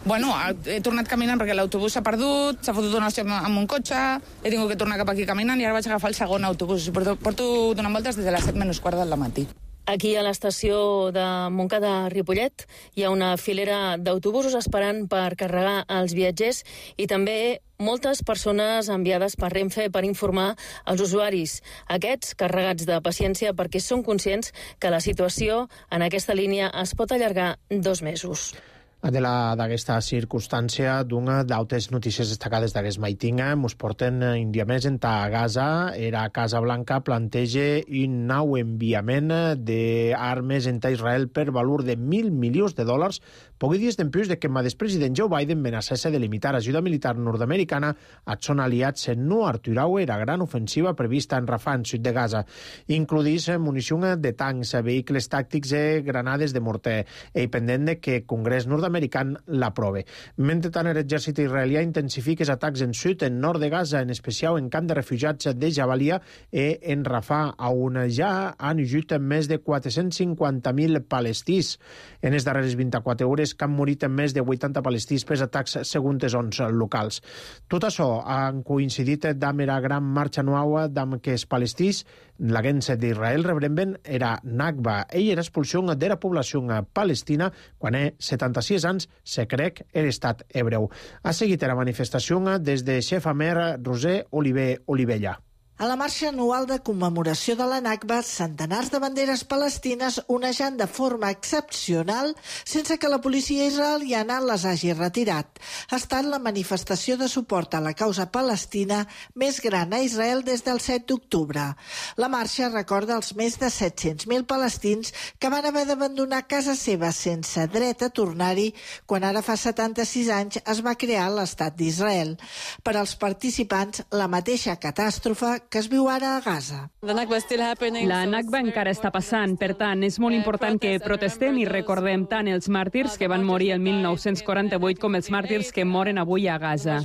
Bueno, he tornat caminant perquè l'autobús s'ha perdut, s'ha fotut una estona amb un cotxe, he tingut que tornar cap aquí caminant i ara vaig agafar el segon autobús. Porto, porto donant voltes des de les set menys quart del matí. Aquí a l'estació de Montcada-Ripollet hi ha una filera d'autobusos esperant per carregar els viatgers i també moltes persones enviades per Renfe per informar els usuaris. Aquests carregats de paciència perquè són conscients que la situació en aquesta línia es pot allargar dos mesos. De la d'aquesta circumstància d'una d'altres notícies destacades d'aquest maiting mos porten un dia més en ta Gaza. Era Casa Blanca planteja un nou enviament d'armes en ta Israel per valor de mil milions de dòlars, pocs dies després de que el expresident Joe Biden amenaçés de limitar ajuda militar nord-americana als són aliats en no aturar la gran ofensiva prevista en Rafah, en sud de Gaza. Includís munició de tancs, vehicles tàctics i granades de morter, i pendent de que el Congrés nord-americà americà l'aprove. Mentrestant, l'exèrcit israelià intensifica els atacs en sud, en nord de Gaza, en especial en camp de refugiats de Jabalia i en Rafah, on ja han ajut més de quatre-cents cinquanta mil palestins. En les darreres vint-i-quatre hores que han morit més de vuitanta palestins per atacs segons les ons locals. Tot això han coincidit amb la gran marxa anual amb que els palestins, la gens d'Israel, rebremben era Nakba, ell era expulsió de la població palestina quan és setanta-sis anys se crec er estat hebreu. Ha seguit la manifestació des de Xef Amer Roser Oliver Olivella. A la marxa anual de commemoració de la Nakba, centenars de banderes palestines onejant de forma excepcional sense que la policia israeliana les hagi retirat. Ha estat la manifestació de suport a la causa palestina més gran a Israel des del set d'octubre. La marxa recorda els més de set-cents mil palestins que van haver d'abandonar casa seva sense dret a tornar-hi quan ara fa setanta-sis anys es va crear l'estat d'Israel. Per als participants, la mateixa catàstrofe que es viu ara a Gaza. La Nakba encara està passant, per tant, és molt important que protestem i recordem tant els màrtirs que van morir el mil nou-cents quaranta-vuit com els màrtirs que moren avui a Gaza.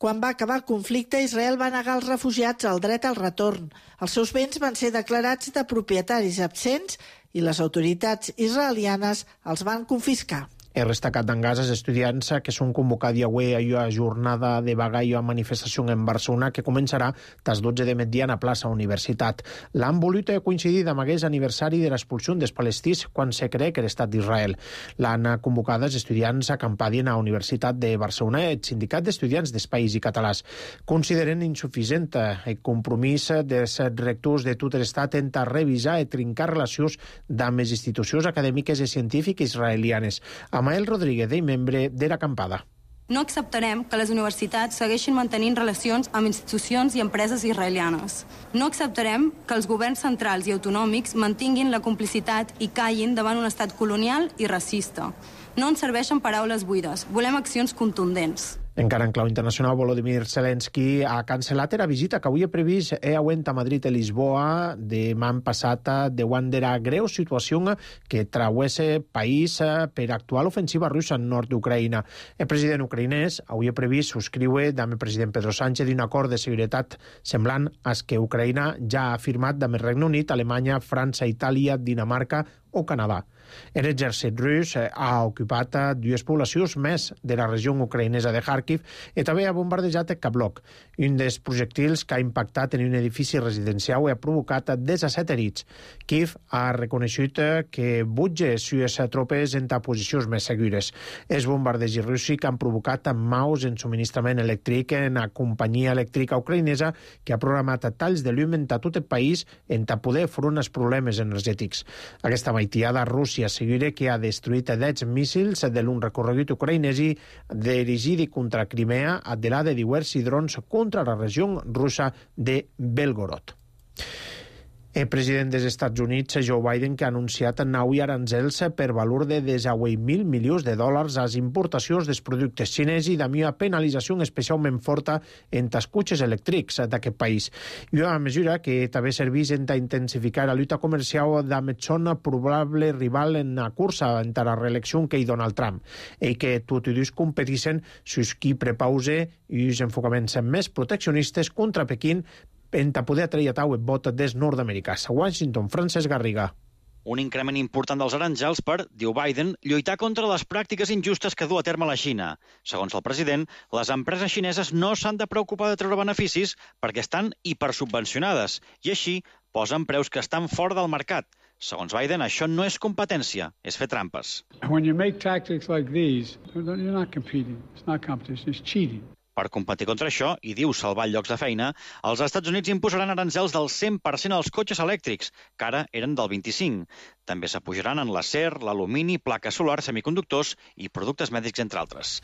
Quan va acabar el conflicte, Israel va negar als refugiats el dret al retorn. Els seus béns van ser declarats de propietaris absents i les autoritats israelianes els van confiscar. He destacat en Gaza els estudiants que són convocats avui a una jornada de vaga i a manifestació en Barcelona que començarà des dotze de migdia a la plaça Universitat. L'han volut coincidir amb aquest aniversari de l'expulsió dels palestins quan se crec l'estat d'Israel. L'han convocat els estudiants acampadien a la Universitat de Barcelona i el Sindicat d'Estudiants d'Espais i Catalans. Consideren insuficient el compromís dels rectors de tot l'estat en revisar i trincar relacions amb les institucions acadèmiques i científiques israelianes. Amael Rodríguez, ell membre de l'acampada. No acceptarem que les universitats segueixin mantenint relacions amb institucions i empreses israelianes. No acceptarem que els governs centrals i autonòmics mantinguin la complicitat i callin davant un estat colonial i racista. No ens serveixen paraules buides, volem accions contundents. Encara en clau internacional, Volodymyr Zelensky ha cancel·lat la visita que avui he previst e auent a Madrid i Lisboa demà passat davant de la greu situació que trauesse país per actual ofensiva russa en nord d'Ucraïna. El president ucraïnès avui he previst subscriure amb el president Pedro Sánchez un acord de seguretat semblant als que Ucraïna ja ha firmat amb el Regne Unit, Alemanya, França, Itàlia, Dinamarca o Canadà. L'exèrcit rus ha ocupat dues poblacions més de la regió ucraïnesa de Kharkiv i també ha bombardejat Kablok, un dels projectils que ha impactat en un edifici residencial i ha provocat disset herits. Kiev ha reconegut que butja les tropes en posicions més segures. Els bombardejos russos han provocat maus en subministrament elèctric en la companyia elèctrica ucraïnesa que ha programat talls de llum en tot el país en poder front als problemes energètics. Aquesta maitiada Rússia assegura que ha destruït deu míssils de l'un recorregut ucraïnès i dirigit contra Crimea a de la de diversos drons contra la regió russa de Belgorod. El president dels Estats Units, Joe Biden, que ha anunciat nou aranzels per valor de desahuit mil milions de dòlars a les importacions dels productes xinesos i d'una penalització especialment forta en els cotxes elèctrics d'aquest país. I una mesura que també serveix a intensificar la lluita comercial amb el son probable rival en la cursa entre la reelecció que hi Donald Trump, i que tots dos competeixen sus qui prepause i els enfocaments més proteccionistes contra Pequín en poder atraure el vot dels nord-americans. A Washington, Francesc Garriga. Un increment important dels aranzels per, diu Biden, lluitar contra les pràctiques injustes que du a terme la Xina. Segons el president, les empreses xineses no s'han de preocupar de treure beneficis perquè estan hipersubvencionades i així posen preus que estan fora del mercat. Segons Biden, això no és competència, és fer trampes. When you make tactics like these, you're not competing. It's not competition, it's cheating. Per competir contra això, i diu salvar llocs de feina, els Estats Units imposaran aranzels del cent per cent als cotxes elèctrics, que ara eren del vint-i-cinc. També s'apujaran en l'acer, l'alumini, plaques solars, semiconductors i productes mèdics, entre altres.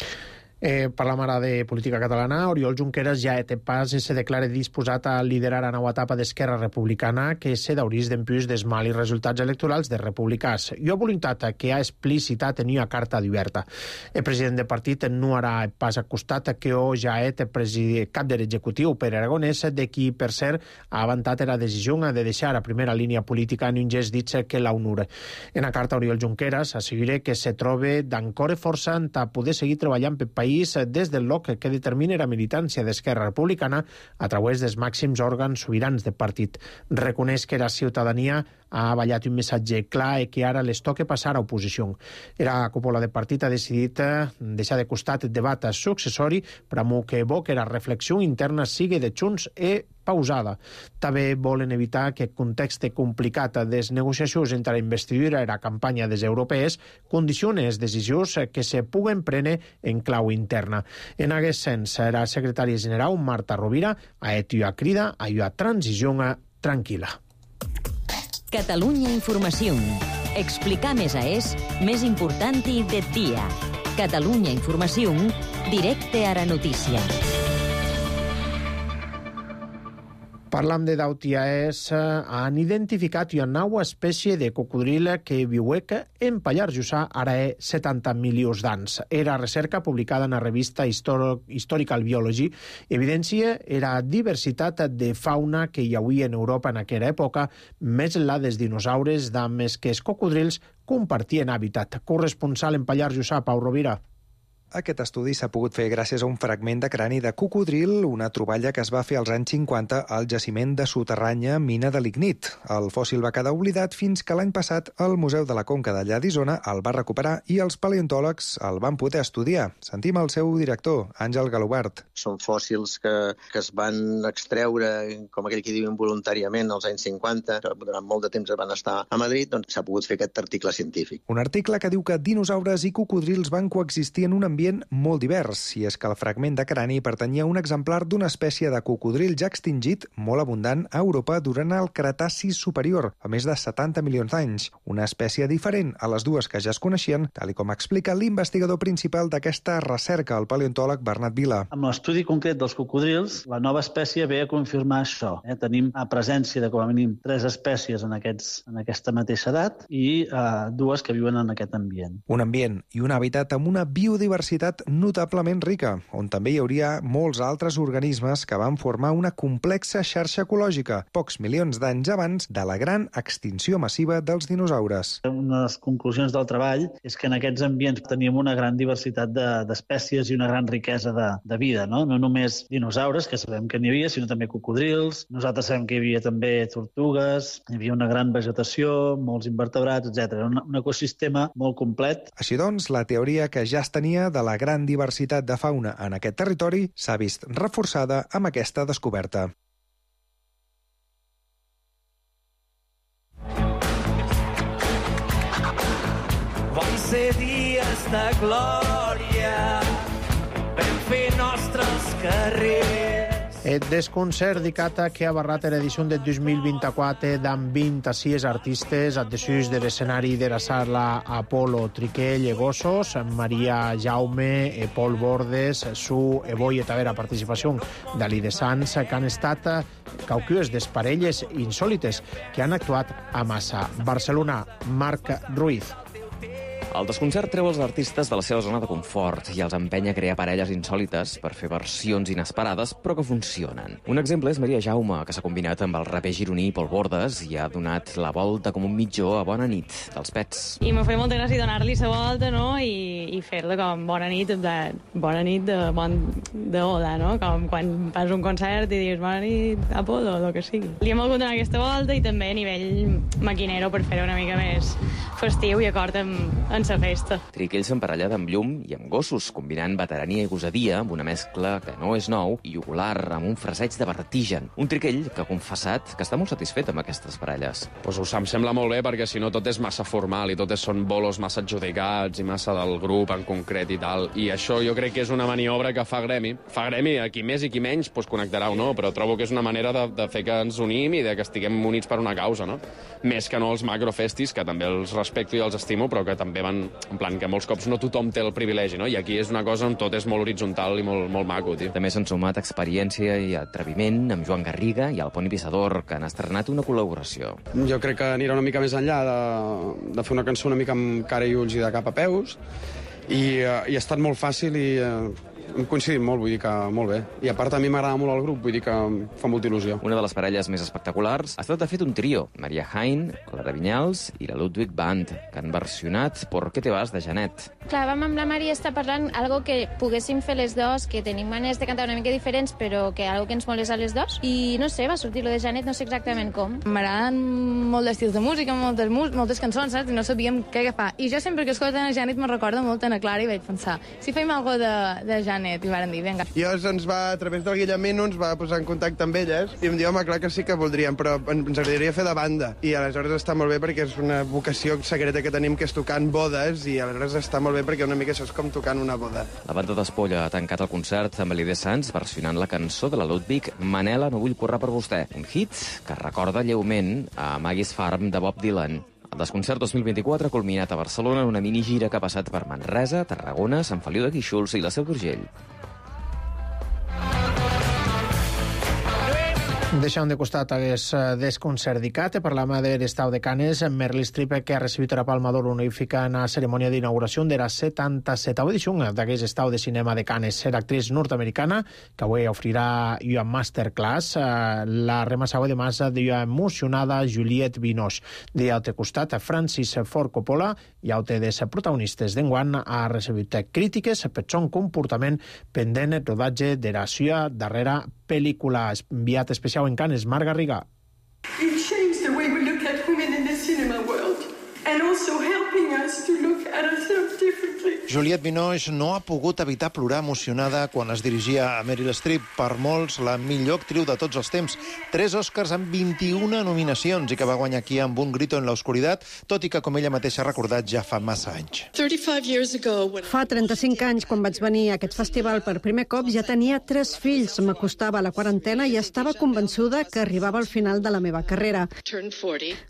Eh, parlam ara de política catalana. Oriol Junqueras ja té pas i se declara disposat a liderar la nova etapa d'Esquerra Republicana que se daurís d'empius dels mals resultats electorals de republicans. Jo voluntat que ha explicitat en una carta oberta. El president del partit no harà pas acostat que ho ja és el cap de l'executiu per Aragonès, de qui, per cert, ha avançat la decisió de deixar a primera línia política en un gest dit que l'honora. En la carta, Oriol Junqueras assegura que se troba d'encore força a poder seguir treballant pel país des del loc que determina la militància d'Esquerra Republicana a través dels màxims òrgans sobirans del partit. Reconeix que la ciutadania ha ballat un missatge clar i que ara les toca passar a oposició. La cúpula del partit ha decidit deixar de costat el debat successori per a que bo que la reflexió interna sigui de Junts i pausada. També volen evitar que el context complicat de les negociacions entre la investidura i la campanya des europees condicioni les decisions que se puguen prendre en clau interna. En aquest sens, la secretària general Marta Rovira ha hecho una crida a una transició tranquil·la. Catalunya Informació. Explicar més a és més important i del dia. Catalunya Informació, directe a la notícia. Parlam de d'Autiaès, han identificat una nova espècie de cocodril que viuec en Pallars Jussà ara hi setanta milions d'anys. Era recerca publicada en la revista Historical Biology evidencia la diversitat de fauna que hi havia en Europa en aquella època, més la dels dinosaures, amb els que els cocodrils compartien hàbitat. Corresponsal en Pallars Jussà, Pau Rovira. Aquest estudi s'ha pogut fer gràcies a un fragment de crani de cocodril, una troballa que es va fer als anys cinquanta al jaciment de soterranya mina de lignit. El fòssil va quedar oblidat fins que l'any passat el Museu de la Conca d'allà d'Isona el va recuperar i els paleontòlegs el van poder estudiar. Sentim el seu director, Àngel Galobart. Són fòssils que, que es van extreure, com aquell que diu involuntàriament, als anys cinquanta. Durant molt de temps van estar a Madrid, doncs s'ha pogut fer aquest article científic. Un article que diu que dinosaures i cocodrils van coexistir en un ambient molt divers, i és que el fragment de crani pertanyia a un exemplar d'una espècie de cocodril ja extingit, molt abundant a Europa durant el Cretaci superior, a més de setanta milions d'anys. Una espècie diferent a les dues que ja es coneixien, tal com explica l'investigador principal d'aquesta recerca, el paleontòleg Bernat Vila. Amb l'estudi concret dels cocodrils, la nova espècie ve a confirmar això. Eh? Tenim a presència de com a mínim tres espècies en, aquests, en aquesta mateixa edat i eh, dues que viuen en aquest ambient. Un ambient i un hàbitat amb una biodiversitat biodiversitat notablement rica, on també hi hauria molts altres organismes que van formar una complexa xarxa ecològica, pocs milions d'anys abans de la gran extinció massiva dels dinosaures. Una de les conclusions del treball és que en aquests ambients teníem una gran diversitat d'espècies i una gran riquesa de, de vida, no? No només dinosaures, que sabem que n'hi havia, sinó també cocodrils. Nosaltres sabem que hi havia també tortugues, hi havia una gran vegetació, molts invertebrats, etcètera. Un, un ecosistema molt complet. Així doncs, la teoria que ja es tenia de la gran diversitat de fauna en aquest territori s'ha vist reforçada amb aquesta descoberta. Van ser dies de glòria, vam fer nostres carrers. El desconcert d'Icata que ha barrat l'edició de dos mil vint-i-quatre d'amb vint-i-sis artistes adhesus de l'escenari de la sala Apolo Triquell e Gossos, Maria Jaume, e Pol Bordes, Su e Boi e també la participació d'Ali de Sans, que han estat caucues d'esparelles insòlites que han actuat a Massa. Barcelona, Marc Ruiz. El desconcert treu els artistes de la seva zona de confort i els empenya a crear parelles insòlites per fer versions inesperades, però que funcionen. Un exemple és Maria Jaume, que s'ha combinat amb el raper gironí Pol Bordes i ha donat la volta com un mitjó a Bona nit dels Pets. I m'ha fet molta gràcia donar-li la volta, no?, i, i fer-la com bona nit, de, bona nit de, bon, de oda, no?, com quan fas un concert i dius bona nit, Apolo, o el que sigui. Li hem volgut donar aquesta volta i també a nivell maquinero per fer-ho una mica més festiu i acord amb, amb la festa. Triquell s'emparella amb llum i amb gossos, combinant veterania i gosadia amb una mescla que no és nou i ocular amb un fraseig de vertigen. Un Triquell que ha confessat que està molt satisfet amb aquestes parelles. Pues ho em sembla molt bé, perquè si no tot és massa formal i tot són bolos massa adjudicats i massa del grup en concret i tal. I això jo crec que és una maniobra que fa Gremi. Fa Gremi, a qui més i qui menys pues, connectarà o no, però trobo que és una manera de, de fer que ens unim i de que estiguem units per una causa, no? Més que no els macrofestis, que també els respecto i els estimo, però que també van en plan que molts cops no tothom té el privilegi, no? I aquí és una cosa on tot és molt horitzontal i molt, molt maco, tio. També s'han sumat experiència i atreviment amb Joan Garriga i el Poni Pissador, que han estrenat una col·laboració. Jo crec que anirà una mica més enllà de, de fer una cançó una mica amb cara i ulls i de cap a peus, i, uh, i ha estat molt fàcil i uh, hem coincidit molt, vull dir que molt bé. I a part a mi m'agrada molt el grup, vull dir que fa molta il·lusió. Una de les parelles més espectaculars ha estat de fet un trio, Maria Hain, Clara Vinyals i la Ludwig Band, que han versionat Por qué te vas de Janet. Clar, vam amb la Maria estar parlant algo que poguéssim fer les dos, que tenim maneres de cantar una mica diferents, però que algo que ens molés a les dos. I no sé, va sortir lo de Janet, no sé exactament com. M'agraden molt d'estils de música, moltes, moltes cançons, saps? I no sabíem què agafar. I jo sempre que escolto a Janet me recorda molt a Ana Clara i vaig pensar, si fem algo de, de Janet, i varen dir, vinga. I llavors ens va, a través del Guillemino, ens va posar en contacte amb elles i em diu, home, clar que sí que voldríem, però ens agradaria fer de banda. I aleshores està molt bé perquè és una vocació secreta que tenim, que és tocar en bodes, i aleshores està molt bé perquè una mica això és com tocant una boda. La banda d'Espolla ha tancat el concert amb l'I D Sans versionant la cançó de la Ludwig, Manela, no vull córrer per vostè, un hit que recorda lleument a Maggie's Farm de Bob Dylan. El Desconcert dos mil vint-i-quatre ha culminat a Barcelona en una minigira que ha passat per Manresa, Tarragona, Sant Feliu de Guíxols i la Seu d'Urgell. Deixant de costat aquest desconcert d'Icata, parlam de l'estau de Canes, Meryl Streep, que ha recibit la Palma d'Or honorífica en la cerimònia d'inauguració de la setanta-setava edició d'aquest estau de cinema de Canes. L'actriz nord-americana, que avui ofrirà una masterclass, la remassava de massa d'una emocionada Juliette Binoche. De l'altre costat, Francis Ford Coppola, i altre de les protagonistes d'enguany, ha recibit crítiques per son comportament pendent el rodatge de la seva darrera pel·lícula. Enviat especial en Canes, Marc Garriga. It changed the way we look at women in the cinema world and also helping us to look at ourselves differently. Juliette Binoche no ha pogut evitar plorar emocionada quan es dirigia a Meryl Streep, per molts la millor actriu de tots els temps. Tres Oscars amb vint-i-una nominacions i que va guanyar aquí amb Un grito en la oscuridad, tot i que, com ella mateixa ha recordat, ja fa massa anys. Fa trenta-cinc anys, quan vaig venir a aquest festival per primer cop, ja tenia tres fills, m'acostava a la quarantena i estava convençuda que arribava al final de la meva carrera.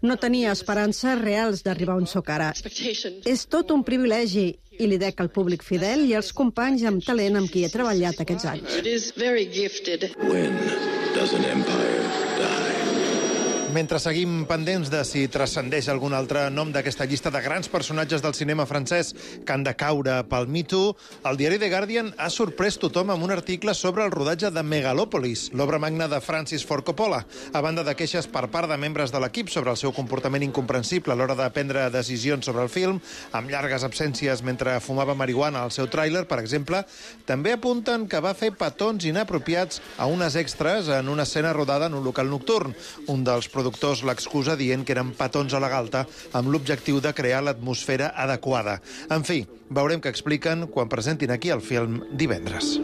No tenia esperances reals d'arribar on soc ara. És tot un privilegi i li dec al públic fidel i als companys amb talent amb qui he treballat aquests anys. When does an empire die? Mentre seguim pendents de si transcendeix algun altre nom d'aquesta llista de grans personatges del cinema francès que han de caure pel Me Too, el diari The Guardian ha sorprès tothom amb un article sobre el rodatge de Megalopolis, l'obra magna de Francis Ford Coppola, a banda de queixes per part de membres de l'equip sobre el seu comportament incomprensible a l'hora de prendre decisions sobre el film, amb llargues absències mentre fumava marihuana al seu tràiler, per exemple. També apunten que va fer petons inapropiats a unes extras en una escena rodada en un local nocturn. Un dels productors l'excusa dient que eren petons a la galta amb l'objectiu de crear l'atmosfera adequada. En fi, veurem què expliquen quan presentin aquí el film divendres.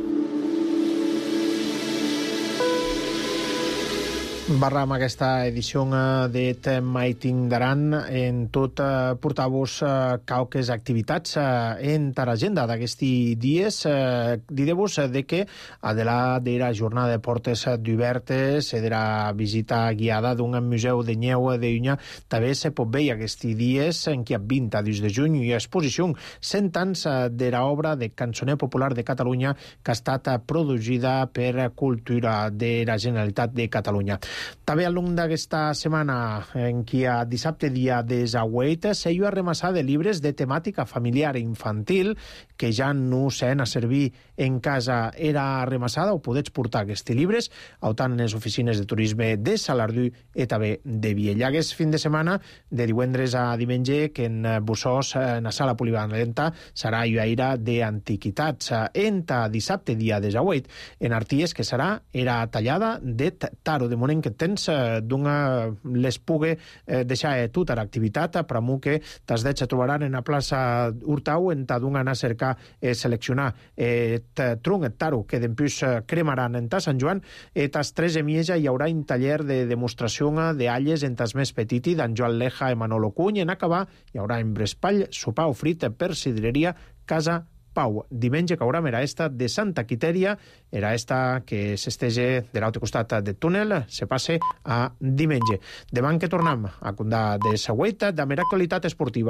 Barram aquesta edició d'Et Maitin Daran en tot eh, portar-vos eh, qualques activitats eh, en l'agenda d'aquests dies. Eh, Diré-vos de que adela de la jornada de portes obertes e de la visita guiada d'un museu de Nyeu de Unya també se pot veure aquests dies en què vint a dos de juny hi ha exposició cent anys de l'obra de cançoner popular de Catalunya que ha estat produïda per Cultura de la Generalitat de Catalunya. També al llarg d'aquesta setmana, en què a dissabte dia desahuet, s'hi ha remassat de llibres de temàtica familiar i infantil que ja no s'han a servir en casa. Era remassada o podets portar aquests llibres, autant en les oficines de turisme de Salardú i també de Viella. Aquest fin de setmana, de divendres a diumenge, que en Bussós, en la sala polivalenta, serà lluaire d'antiquitats. En dissabte dia desahuet, en Arties, que serà era tallada de taro, de moment que tens d'una les pugui eh, deixar tota l'activitat, però que t'has de trobaran en la plaça Hurtau en t'adun anar a cercar eh, seleccionar eh, tronc et taro que d'empús eh, cremaran en ta Sant Joan i eh, tas tres emieja hi haurà un taller de demostració d'alles en tas més petiti d'en Joan Leja i Manolo Cuny. En acabar hi haurà en Brespall sopar ofrit per sidreria Casa Pau. Diumenge caurà era esta de Santa Quitèria, era esta que s'estege de l'altre costat del túnel, se passe a diumenge. Demà que tornem a contar de Sagüeta, de mera actualitat esportiva.